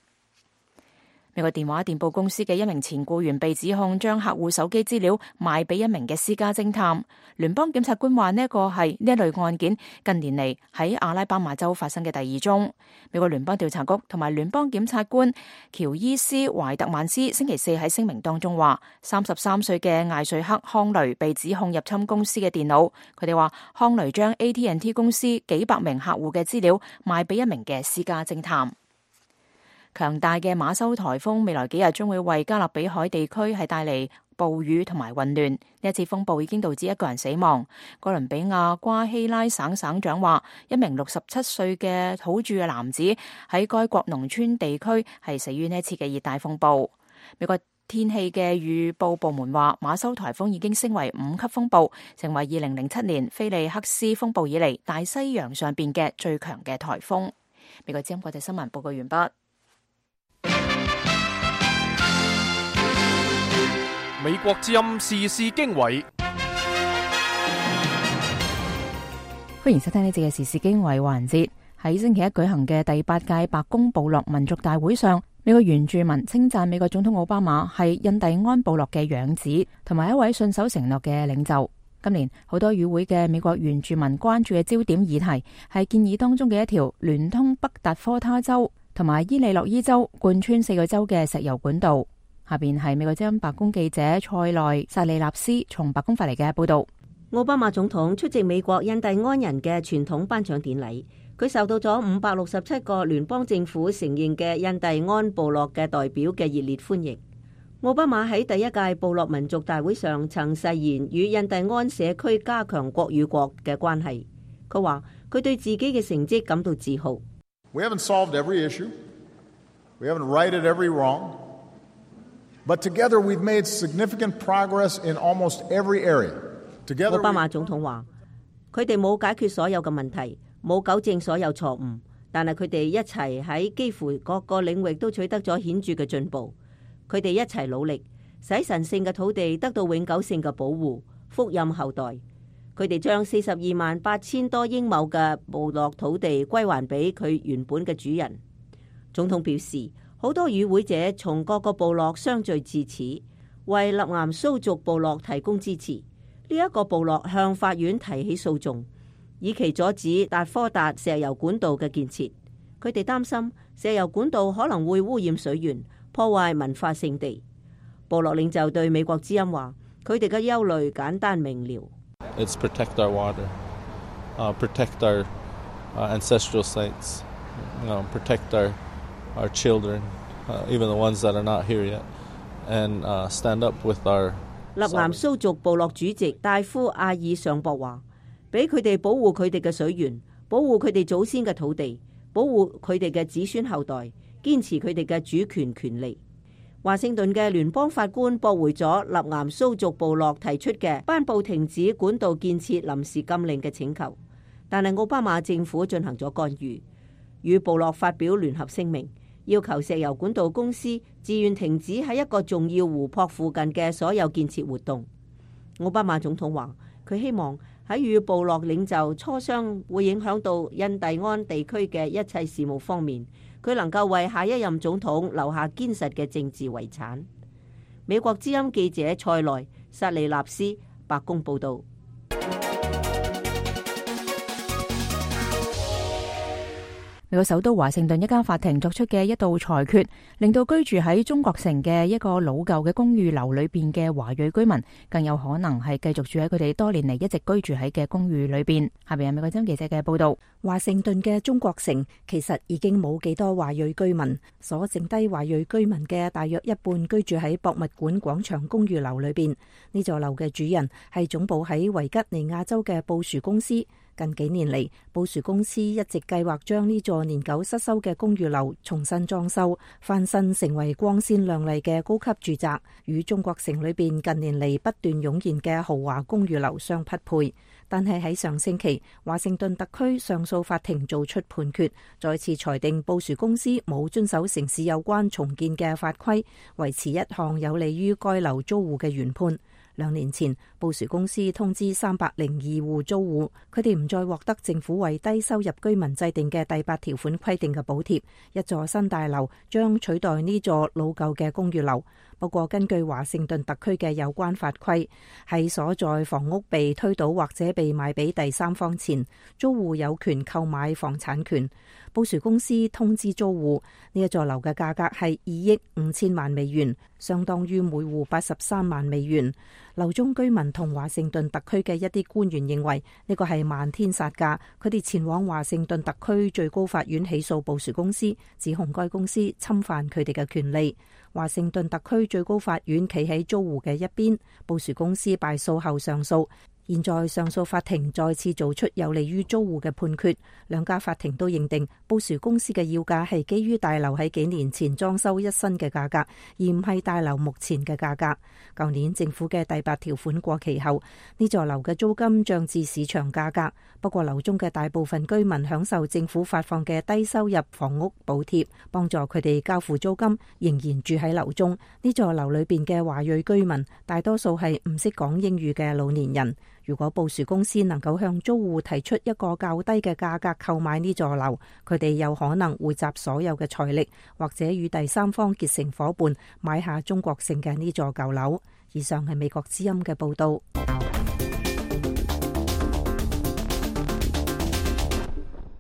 美國電話電報公司嘅一名前僱員被指控將客戶手機資料賣俾一名嘅私家偵探。聯邦檢察官話呢一個係呢一類案件近年嚟喺阿拉巴馬州發生嘅第2宗。美國聯邦調查局同埋聯邦檢察官喬伊斯懷特曼斯星期4喺聲明當中話，33歲嘅艾瑞克康雷被指控入侵公司嘅電腦。佢哋話康雷將 AT&T 公司幾百名客戶嘅資料賣俾一名嘅私家偵探。強大嘅馬修颱風未來幾日將會為加勒比海地區係帶嚟暴雨同埋混亂。呢一次風暴已經導致1個人死亡。哥倫比亞瓜希拉省省長話，一名67歲嘅土著嘅男子喺該國農村地區係死於呢一次嘅熱帶風暴。美國天氣嘅預報部門話，馬修颱風已經升為5級風暴，成為2007年菲利克斯風暴以嚟大西洋上邊嘅最強嘅颱風。美國之音國際新聞報告完畢。
美國之音時事經緯，
歡迎收聽呢節嘅時事經緯環節。喺星期一舉行嘅第8屆白宮部落民族大會上，美國原住民稱讚美國總統奧巴馬係印第安部落嘅養子，同埋一位信守承諾嘅領袖。今年好多與會嘅美國原住民關注嘅焦點議題係建議當中嘅一條聯通北達科他州同埋伊利諾伊州貫穿4個州嘅石油管道。下邊係美國之音白宮記者塞內薩利納斯從白宮發嚟嘅報道。
奧巴馬總統出席美國印第安人嘅傳統頒獎典禮，佢受到咗567個聯邦政府承認嘅印第安部落嘅代表嘅熱烈歡迎。奧巴馬喺第1屆部落民族大會上曾誓言與印第安社區加強國與國嘅關係。佢話佢對自己嘅成績感到自豪。
We haven't solved every issue. We haven't righted every wrong. But together we've made significant progress in almost every area. Together.
奧巴馬總統話：佢哋冇解決所有嘅問題，冇糾正所有錯誤，但係佢哋一齊喺幾乎各個領域都取得咗顯著嘅進步。佢哋一齊努力，使神聖嘅土地得到永久性嘅保護，福蔭後代。佢哋將428000多英畝嘅部落土地歸還俾佢原本嘅主人。總統表示，好多與會者從各個部落相聚至此，為納岩蘇族部落提供支持。呢一個部落向法院提起訴訟，以期阻止達科達石油管道嘅建設。佢哋擔心石油管道可能會污染水源，破壞文化聖地。部落領袖對美國之音話：佢哋嘅憂慮簡單明了。
It's protect our water, protect our ancestral sites, protect our children, even the ones that are not here yet, and stand up with our。
納岩蘇族部落主席戴夫阿爾上博話：俾佢哋保護佢哋嘅水源，保護佢哋祖先嘅土地，保護佢哋嘅子孫後代，堅持佢哋嘅主權權利。華盛頓嘅聯邦法官駁回咗納岩蘇族部落提出嘅頒布停止管道建設臨時禁令嘅請求，但係奧巴馬政府進行咗干預，與部落發表聯合聲明，要求石油管道公司自願停止喺一個重要湖泊附近嘅所有建設活動。奧巴馬總統話：佢希望喺與部落領袖磋商會影響到印第安地區嘅一切事務方面，佢能夠為下一任總統留下堅實嘅政治遺產。美國之音記者塞內薩利納斯白宮報道。
美國首都華盛頓一間法庭作出嘅一道裁決，令到居住喺中國城嘅一個老舊嘅公寓樓裏邊嘅華裔居民，更有可能係繼續住喺佢哋多年嚟一直居住喺嘅公寓裏邊。下邊係美國之音記者嘅報道。
華盛頓嘅中國城其實已經冇幾多華裔居民，所剩低華裔居民嘅大約一半居住喺博物館廣場公寓樓裏邊。呢座樓嘅主人係總部喺維吉尼亞州嘅布殊公司。近幾年嚟，布殊公司一直計劃將呢座年久失修嘅公寓樓重新裝修，翻新成為光鮮亮麗嘅高級住宅，與中國城裏邊近年嚟不斷湧現嘅豪華公寓樓相匹配。但係喺上星期，華盛頓特區上訴法庭做出判決，再次裁定布殊公司冇遵守城市有關重建嘅法規，維持一項有利於該樓租戶嘅原判。2年前，布殊公司通知302戶租戶，佢哋唔再獲得政府為低收入居民制定嘅第8條款規定嘅補貼，一座新大樓將取代呢座老舊嘅公寓樓。不過，根據華盛頓特區嘅有關法規，喺所在房屋被推倒或者被賣俾第三方前，租戶有權購買房產權。布殊公司通知租戶，呢一座樓嘅價格係2億5千萬美元，相當於每戶83萬美元。樓中居民同華盛頓特區嘅一啲官員認為呢個係漫天殺價，佢哋前往華盛頓特區最高法院起訴布殊公司，指控該公司侵犯佢哋嘅權利。華盛頓特區最高法院企喺租戶嘅一邊，布殊公司敗訴後上訴，現在上訴法庭再次做出有利於租戶嘅判決，兩家法庭都認定布殊公司嘅要價係基於大樓喺幾年前裝修一新嘅價格，而唔係大樓目前嘅價格。舊年政府嘅第8條款過期後，呢座樓嘅租金漲至市場價格。不過樓中嘅大部分居民享受政府發放嘅低收入房屋補貼，幫助佢哋交付租金，仍然住喺樓中。呢座樓裏邊嘅華裔居民大多數係唔識講英語嘅老年人。如果布殊公司能夠向租戶提出一個較低嘅價格購買呢座樓，佢哋有可能匯集所有嘅財力，或者與第三方結成夥伴，買下中國城嘅呢座舊樓。以上係美國之音嘅報道。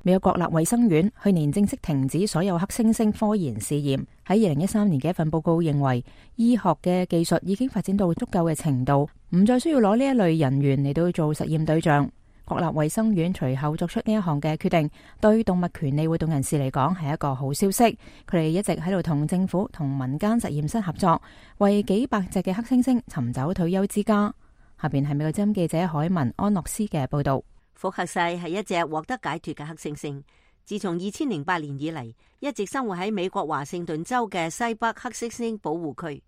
美國國立衛生院去年正式停止所有黑猩猩科研試驗。喺2013年嘅一份報告認為，醫學嘅技術已經發展到足夠嘅程度，唔再需要攞呢一類人員嚟到做實驗對象。國立衛生院隨後作出呢一項嘅決定，對動物權利活動人士嚟講係一個好消息。佢哋一直喺度同政府同民間實驗室合作，為幾百隻嘅黑猩猩尋找退休之家。下邊係美國之音記者海文安諾斯嘅報道。
福克西係一隻獲得解脫嘅黑猩猩，自從2008年以嚟，一直生活喺美國華盛頓州嘅西北黑猩猩保護區。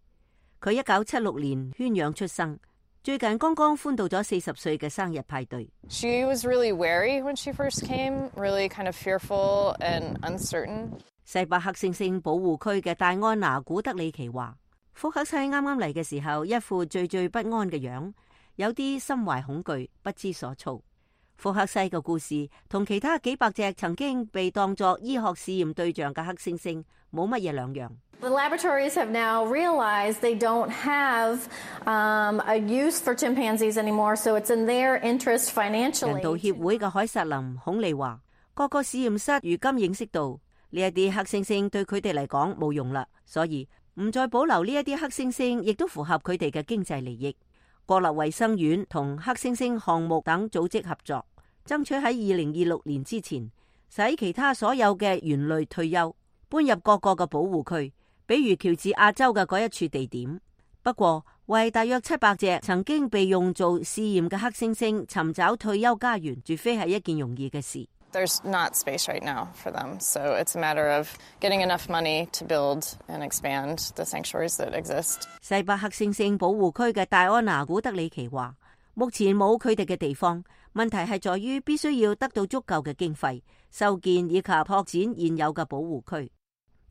佢1976年圈養出生，最近剛剛歡度咗40歲嘅生日派對。
She was really wary when she first came, really kind of fearful and uncertain.
西北黑猩猩保護區嘅戴安娜古德里奇話，福克西啱啱嚟嘅時候，一副惴惴不安嘅樣，有啲心懷恐懼，不知所措。福克西嘅故事同其他幾百隻曾經被當作醫學試驗對象嘅黑猩猩冇乜嘢兩樣。
The laboratories have now realized they don't have a use for chimpanzees anymore, so it's in their interest financially.
人道協會嘅凱瑟琳孔利話，各個試驗室如今認識到呢一啲黑猩猩對佢哋嚟講冇用啦，所以唔再保留呢一啲黑猩猩，亦都符合佢哋嘅經濟利益。國立衛生院同黑猩猩項目等組織合作，爭取喺2026年之前使其他所有嘅猿類退休，搬入各個嘅保護區，比如喬治亞州嘅嗰一處地點。不過為大約700隻曾經被用做試驗嘅黑猩猩尋找退休家園，絕非係一件容易嘅事。
There's not space right now for them, so it's a matter of getting enough money to build and expand the sanctuaries that exist.
西北黑猩猩保護區嘅戴安娜古德里奇話，目前冇佢哋嘅地方，問題係在於必須要得到足夠嘅經費，修建以及拓展現有嘅保護區，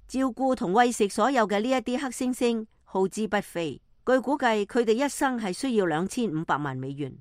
照顧同餵食所有嘅呢一啲黑猩猩耗資不菲。據估計，佢哋一生係需要2500萬美元。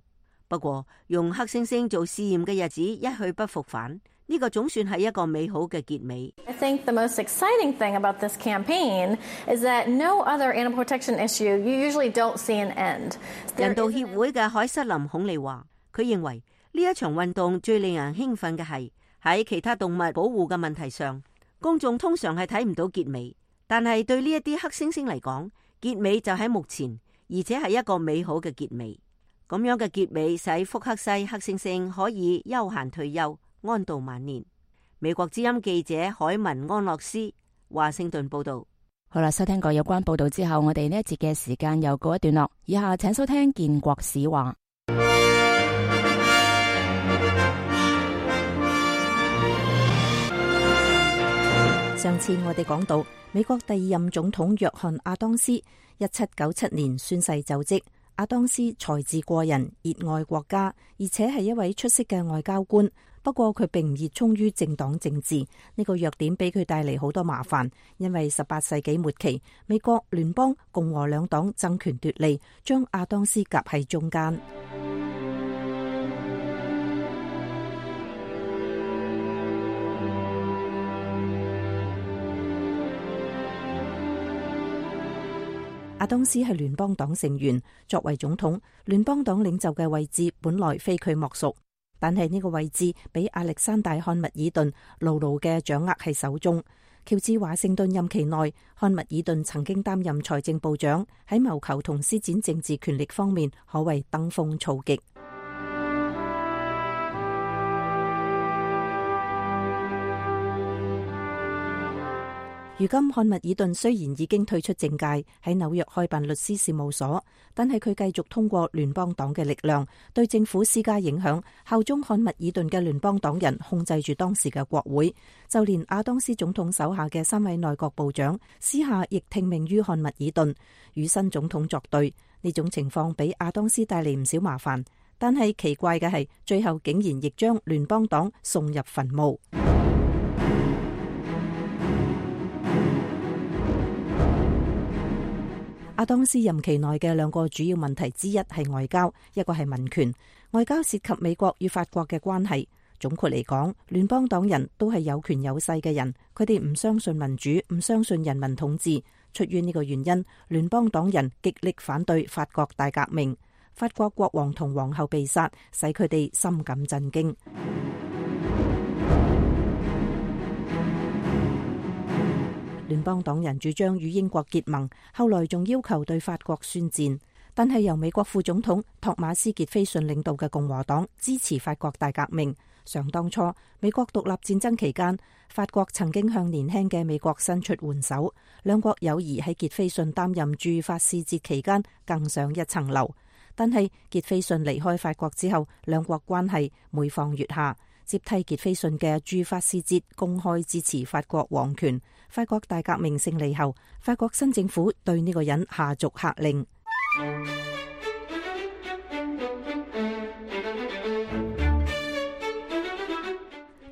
不過，用黑猩猩做試驗嘅日子一去不復返，呢個總算係一個美好嘅結尾。
I think the most exciting thing about this campaign is that no other animal protection issue you usually don't see an end.
人道協會嘅凱瑟琳孔利話，佢認為呢一場運動最令人興奮嘅係喺其他動物保護嘅問題上，公眾通常係睇唔到結尾，但係對呢一啲黑猩猩嚟講，結尾就喺目前，而且係一個美好嘅結尾。咁樣嘅結尾使福克西黑猩猩可以悠閒退休，安度晚年。美國之音記者海文安諾斯華盛頓報道。
好啦，收聽過有關報道之後，我哋呢一節嘅時間又告一段落。以下請收聽建國史話。
上次我哋講到美國第2任總統約翰亞當斯1797年宣誓就職。亞當斯才智過人，熱愛國家，而且係一位出色嘅外交官。不過佢並唔熱衷於政黨政治，呢個弱點俾佢帶嚟好多麻煩。因為18世紀末期，美國聯邦共和兩黨爭權奪利，將亞當斯夾喺中間。亞當斯係聯邦黨成員，作為總統，聯邦黨領袖嘅位置本來非佢莫屬，但係呢個位置俾亞歷山大漢密爾頓牢牢嘅掌握喺手中。喬治華盛頓任期內，漢密爾頓曾經擔任財政部長，喺謀求同施展政治權力方面可謂登峰造極。如今漢密爾頓雖然已經退出政界，喺紐約開辦律師事務所，但係佢繼續通過聯邦黨嘅力量對政府施加影響，效忠漢密爾頓嘅聯邦黨人控制住當時嘅國會，就連亞當斯總統手下嘅3位內閣部長私下亦聽命於漢密爾頓，與新總統作對。呢種情況俾亞當斯帶嚟唔少麻煩，但係奇怪嘅係，最後竟然亦將聯邦黨送入墳墓。亞當斯任期內嘅2個主要問題之一係外交，一個係民權。外交涉及美國與法國嘅關係。總括嚟講，聯邦黨人都係有權有勢嘅人，佢哋唔相信民主，唔相信人民統治。出於呢個原因，聯邦黨人極力反對法國大革命。法國國王同皇后被殺，使佢哋深感震驚。聯邦黨人主張與英國結盟，後來仲要求對法國宣戰。但係由美國副總統托馬斯傑菲遜領導嘅共和黨支持法國大革命。想當初美國獨立戰爭期間，法國曾經向年輕嘅美國伸出援手，兩國友誼喺傑菲遜擔任駐法使節期間更上一層樓。但係傑菲遜離開法國之後，兩國關係每況愈下。接替傑菲遜嘅駐法使節公開支持法國皇權。法國大革命勝利後，法國新政府對呢個人下逐客令。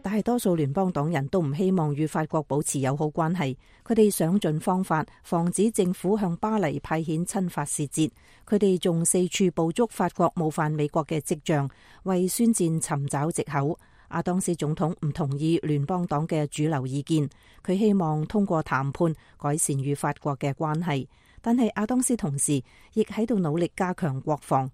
大多數聯邦黨人都唔希望與法國保持友好關係，佢哋想盡方法防止政府向巴黎派遣親法使節。佢哋仲四處捕捉法國冒犯美國嘅跡象，為宣戰尋找藉口。亞當斯總統唔同意聯邦黨嘅主流意見，佢希望通過談判改善與法國嘅關係，但係亞當斯同時亦喺度努力加強國防。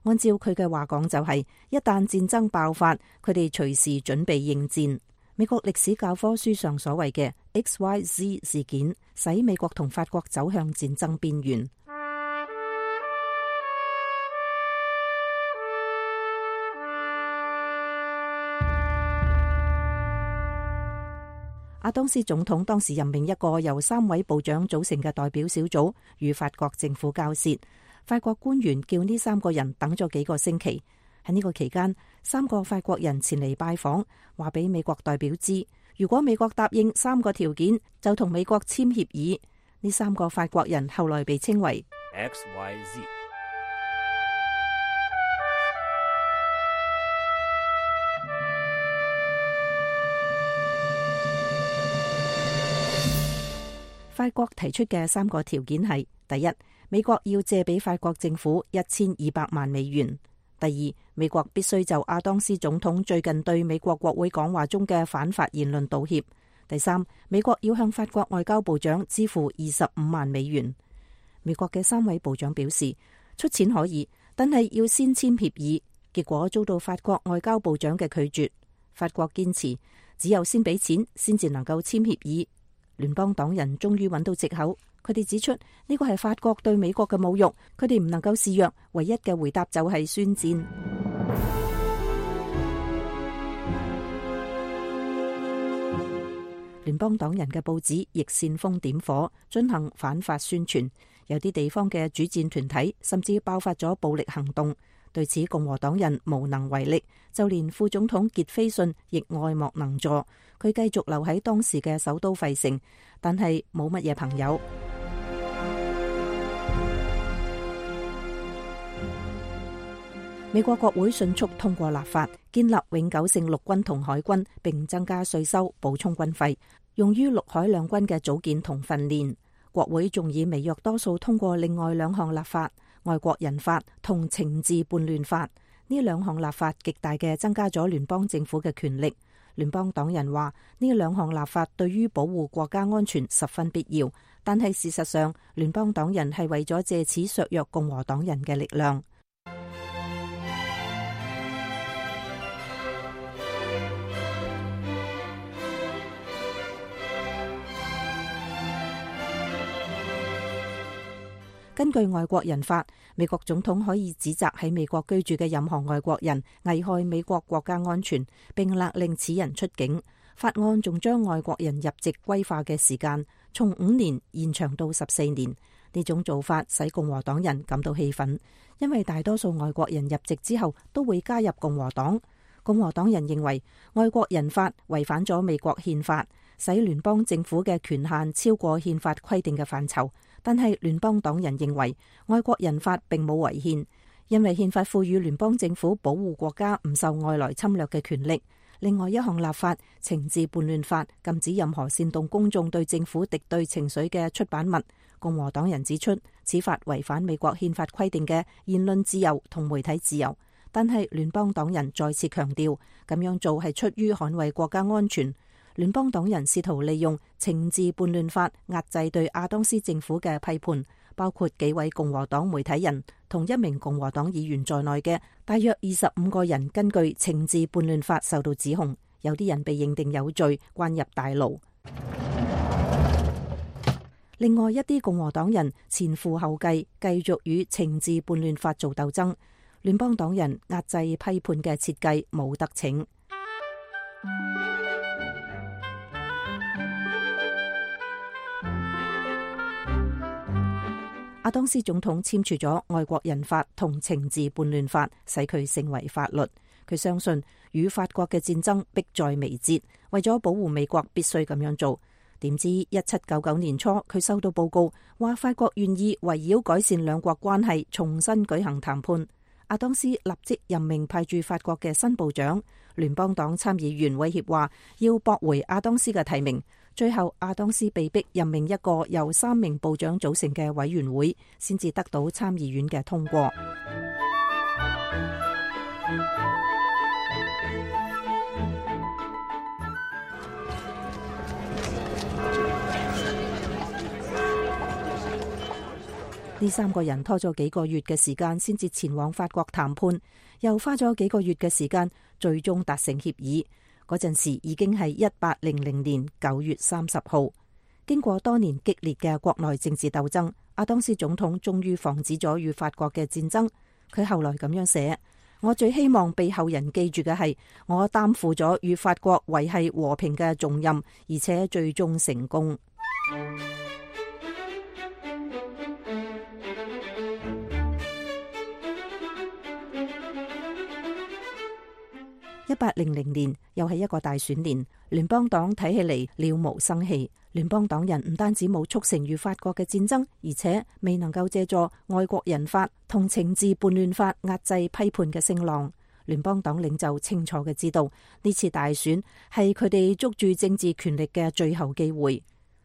按照佢嘅話講，就係一旦戰爭爆發，佢哋隨時準備應戰。美國歷史教科書上所謂嘅 XYZ 事件，使美國同法國走向戰爭邊緣。亞當斯總統當時任命一個由3位部長組成嘅代表小組，與法國政府交涉。法國官員叫呢3個人等咗幾個星期。喺呢個期間，3個法國人前嚟拜訪，話俾美國代表知，如果美國答應3個條件，就同美國簽協議。呢3個法國人後來被稱為
XYZ。
法國提出嘅3個條件係：第一，美國要借俾法國政府1200萬美元；第二，美國必須就亞當斯總統最近對美國國會講話中嘅反法言論道歉；第三，美國要向法國外交部長支付25萬美元。美國嘅3位部長表示出錢可以，但係要先簽協議，結果遭到法國外交部長嘅拒絕。法國堅持只有先俾錢先至能夠簽協議。聯邦黨人終於揾到藉口，佢哋指出呢個係法國對美國嘅侮辱，佢哋唔能夠示弱，唯一嘅回答就係宣戰。聯邦黨人嘅報紙亦煽風點火，進行反法宣傳，有啲地方嘅主戰團體甚至爆發咗暴力行動。對此，共和黨人無能為力，就連副總統傑菲遜亦愛莫能助。佢繼續留喺當時嘅首都費城，但係冇乜嘢朋友。美國國會迅速通過立法，建立永久性陸軍同海軍，並增加稅收，補充軍費，用於陸海兩軍嘅組建同訓練。國會仲以微弱多數通過另外2項立法。外國人法同懲治叛亂法，呢2項立法極大嘅增加咗聯邦政府嘅權力。聯邦黨人話呢2項立法對於保護國家安全十分必要，但係事實上聯邦黨人係為咗借此削弱共和黨人嘅力量。根據外國人法，美國總統可以指責喺美國居住嘅任何外國人危害美國國家安全，並勒令此人出境。法案仲將外國人入籍歸化嘅時間從5年延長到14年。呢種做法使共和黨人感到氣憤，因為大多數外國人入籍之後都會加入共和黨。共和黨人認為外國人法違反咗美國憲法，使聯邦政府嘅權限超過憲法規定嘅範疇。但係聯邦黨人認為外國人法並冇違憲，因為憲法賦予聯邦政府保護國家唔受外來侵略嘅權力。另外一項立法懲治叛亂法，禁止任何煽動公眾對政府敵對情緒嘅出版物。共和黨人指出，此法違反美國憲法規定嘅言論自由同媒體自由。但係聯邦黨人再次強調，咁樣做係出於捍衛國家安全。聯邦黨人試圖利用懲治叛亂法壓制對亞當斯政府嘅批判，包括幾位共和黨媒體人同1名共和黨議員在內嘅大約25個人，根據懲治叛亂法受到指控。有啲人被認定有罪，關入大牢。另外一啲共和黨人前赴後繼，繼續與懲治叛亂法做鬥爭。聯邦黨人壓制批判嘅設計冇得逞。亞當斯總統簽署咗外國人法同懲治叛亂法，使佢成為法律。佢相信與法國嘅戰爭迫在眉睫，為咗保護美國必須咁樣做。點知1799年初，佢收到報告話法國願意圍繞改善兩國關係重新舉行談判。亞當斯立即任命派駐法國嘅新部長。聯邦黨參議員威脅話要駁回亞當斯嘅提名。最後亞當斯被迫任命一個由3名部長組成嘅委員會，先至得到參議院嘅通過。呢3個人拖咗幾個月嘅時間先至前往法國談判，又花咗幾個月嘅時間，最終達成協議。嗰陣時已經係1800年9月30號。經過多年激烈嘅國內政治鬥爭，亞當斯總統終於防止咗與法國嘅戰爭。佢後來咁樣寫：我最希望被後人記住嘅係，我擔負咗與法國維繫和平嘅重任，而且最終成功。1800年又係一個大選年，聯邦黨睇起嚟了無生氣。聯邦黨人唔單止冇促成與法國嘅戰爭，而且未能夠借助外國人法同懲治叛亂法壓制批判嘅聲浪。聯邦黨領袖清楚嘅知道，呢次大選係佢哋捉住政治權力嘅最後機會。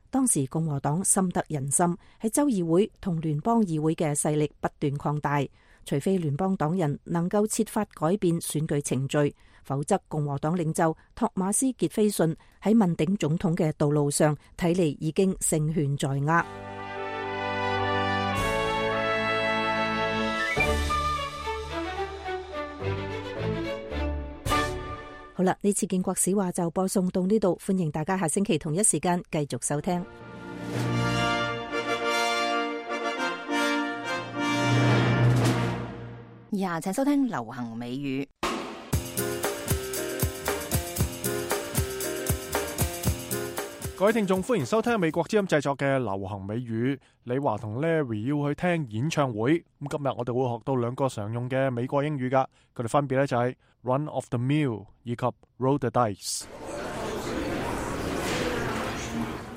當時共和黨深得人心，喺州議會同聯邦議會嘅勢力不斷擴大。除非聯邦黨人能夠設法改變選舉程序，否則共和黨領袖托馬斯傑菲遜喺問鼎總統嘅道路上，睇嚟已經勝券在握。好啦，呢次建國史話就播送到呢度，歡迎大家下星期同一時間繼續收聽。
以下請收聽流行美語。
各位聽眾，歡迎收聽美國之音製作嘅流行美語。李華同 Larry 要去聽演唱會，咁今日我哋會學到2個常用嘅美國英語噶，佢哋分別咧就係 run of the mill 以及 roll the dice。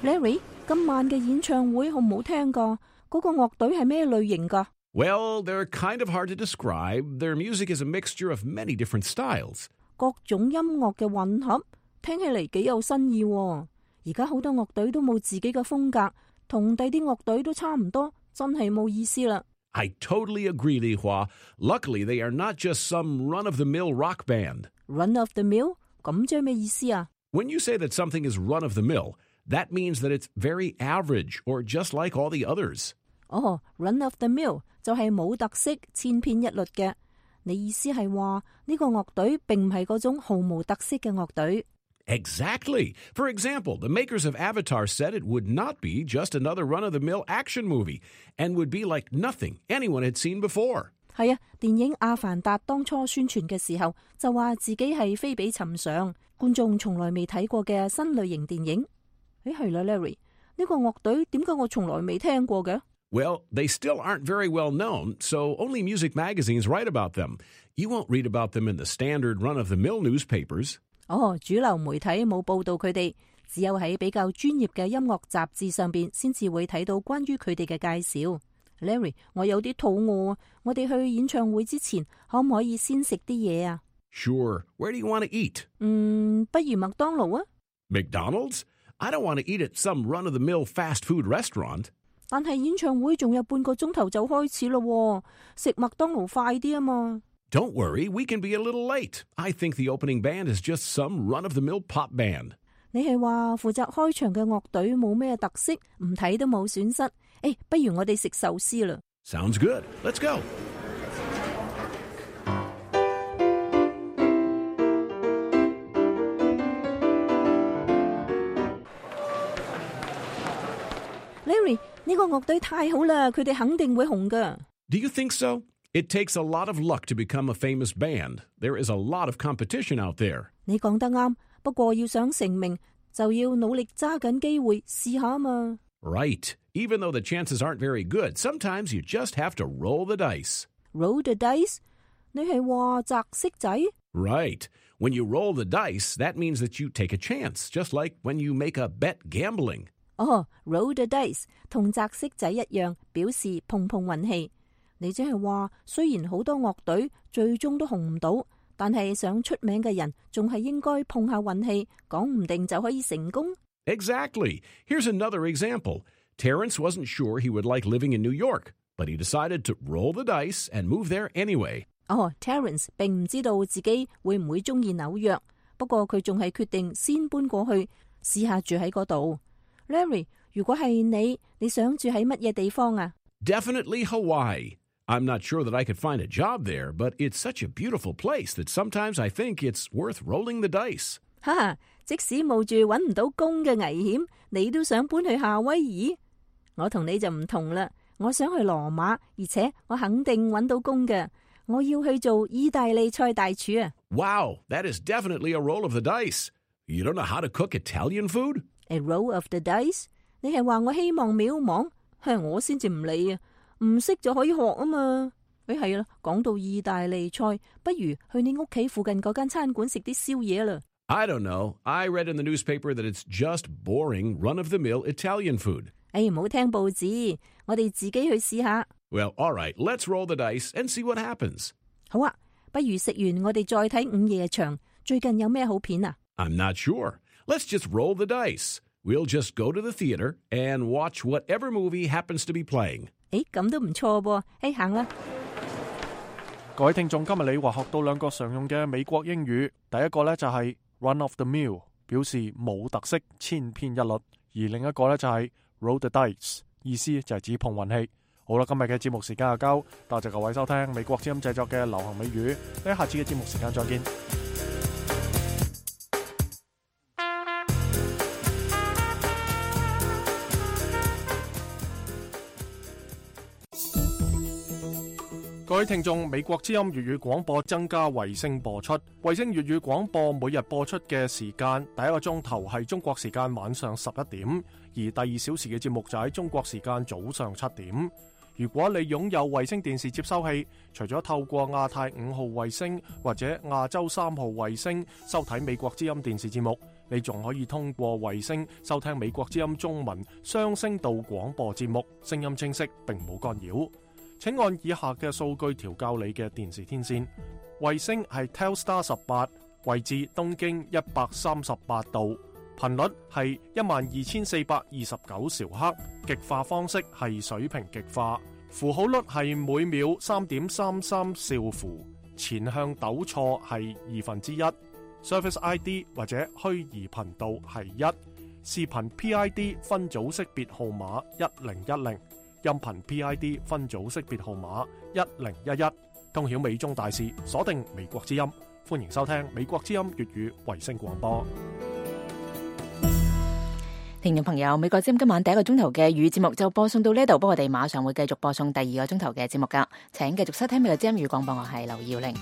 Larry， 今晚嘅演唱會好唔好聽噶？嗰個樂隊係咩類型噶
？Well, they're kind of hard to describe. Their music is a mixture of many different styles.
各種音樂嘅混合，聽起嚟幾有新意喎。而家好多樂隊都冇自己嘅風格，同第啲樂隊都差唔多，真係冇意思啦。
I totally agree, Li Hua. Luckily, they are not just some run-of-the-mill rock band.
Run of the mill? 咁即係咩意思啊？
When you say that something is run-of-the-mill, that means that it's very average or just like all the others.
哦，run of the mill 就係冇特色、千篇一律嘅。你意思係話呢個樂隊並唔係嗰種毫無特色嘅樂隊？
Exactly. For example, the makers of Avatar said it would not be just another run-of-the-mill action movie and would be like nothing anyone had seen before.
係啊，電影《阿凡達》當初宣傳嘅時候就話自己係非比尋常，觀眾從來未睇過嘅新類型電影。係啦 ，Larry，呢個樂隊點解我從來未聽過嘅？
Well, they still aren't very well known, so only music magazines write about them. You won't read about them in the standard run-of-the-mill newspapers.
主流媒體冇報道佢哋，只有喺比較專業嘅音樂雜誌上邊先至會睇到關於佢哋嘅介紹。Larry， 我有啲肚餓啊，我哋去演唱會之前可唔可以先食啲嘢啊？
Sure. Where do you want to eat?
不如麥當勞啊。
McDonald's? I don't want to eat at some run-of-the-mill fast food restaurant.
但係演唱會仲有半個鐘頭就開始咯，食麥當勞快啲啊嘛。
Don't worry, we can be a little late. I think the opening band is just some run-of-the-mill pop band.
你係話負責開場嘅樂隊冇咩特色，唔睇都冇損失。不如我哋食壽司啦。
Sounds good. Let's go.
Larry， 呢個樂隊太好啦，佢哋肯定會紅噶。
Do you think so? It takes a lot of luck to become a famous band. There is a lot of competition out there.
你講得啱，不過要想成名，就要努力揸緊機會試下嘛。
Right. Even though the chances aren't very good, sometimes you just have to roll the dice.
Roll the dice? 你係話擲骰仔？
Right. When you roll the dice, that means that you take a chance, just like when you make a bet gambling.
Roll the dice 同擲骰仔一樣，表示碰碰運氣。你即係話，雖然好多樂隊最終都紅唔到，但係想出名嘅人仲係應該碰下運氣，講唔定就可以成功。
Exactly. Here's another example. Terrence wasn't sure he would like living in New York, but he decided to roll the dice and move there anyway.
Terrence 並唔知道自己會唔會中意紐約，不過佢仲係決定先搬過去試下住喺嗰度。Larry， 如果係你想住喺乜嘢地方啊？
Definitely Hawaii. I'm not sure that I could find a job there, but it's such a beautiful place that sometimes I think it's worth rolling the dice.
哈哈，即使冒住揾唔到工嘅危險，你都想搬去夏威夷？我同你就唔同啦，我想去羅馬，而且我肯定揾到工嘅。我要去做意大利菜大廚啊！
Wow, that is definitely a roll of the dice. You don't know how to cook Italian food?
A roll of the dice？ 你係話我希望渺茫？我先至唔理啊！唔識就可以學啊嘛。係啦，講到意大利菜，不如去你屋企附近嗰間餐館食啲宵夜啦。
I don't know. I read in the newspaper that it's just boring, run-of-the-mill Italian food.
唔好聽報紙，我哋自己去試下。
Well, all right, let's roll the dice and see what happens.
好啊，不如食完我哋再睇午夜場。最近有咩好片啊？
I'm not sure. Let's just roll the dice. We'll just go to the theater and watch whatever movie happens to be playing.
咁都唔錯噃。行啦。
各位聽眾，今日你話學到兩個常用嘅美國英語，第一個呢就係 run of the mill， 表示冇特色、千篇一律；而另一個呢就係 roll the dice， 意思就係指碰運氣。好啦，今日嘅節目時間就夠，多謝各位收聽美國之音製作嘅流行美語，喺下次嘅節目時間再見。各位聽眾，美國之音粵語廣播增加衛星播出。衛星粵語廣播每日播出嘅時間，第一個鐘頭係中國時間晚上11點，而第2小時嘅節目就喺中國時間早上7點。如果你擁有衛星電視接收器，除咗透過亞太5號衛星或者亞洲3號衛星收睇美國之音電視節目，你仲可以通過衛星收聽美國之音中文雙聲道廣播節目，聲音清晰並冇干擾。請按以下嘅數據調校你嘅電視天線。衛星係 Telstar 18，位置東經138度，頻率係12429兆赫，極化方式係水平極化，符號率係每秒 3.33 兆符，前向抖錯係1/2，Service ID 或者虛擬頻道係1，視頻 PID 分組識別號碼1010。音頻 PID 分組識別號碼1011，通曉美中大事，鎖定美國之音，歡迎收聽美國之音粵語衛星廣播。
聽眾朋友，美國之音今晚第一個鐘頭嘅語節目就播送到呢度，不過我哋馬上會繼續播送第二個鐘頭嘅節目噶，請繼續收聽美國之音語廣播，我係劉耀玲。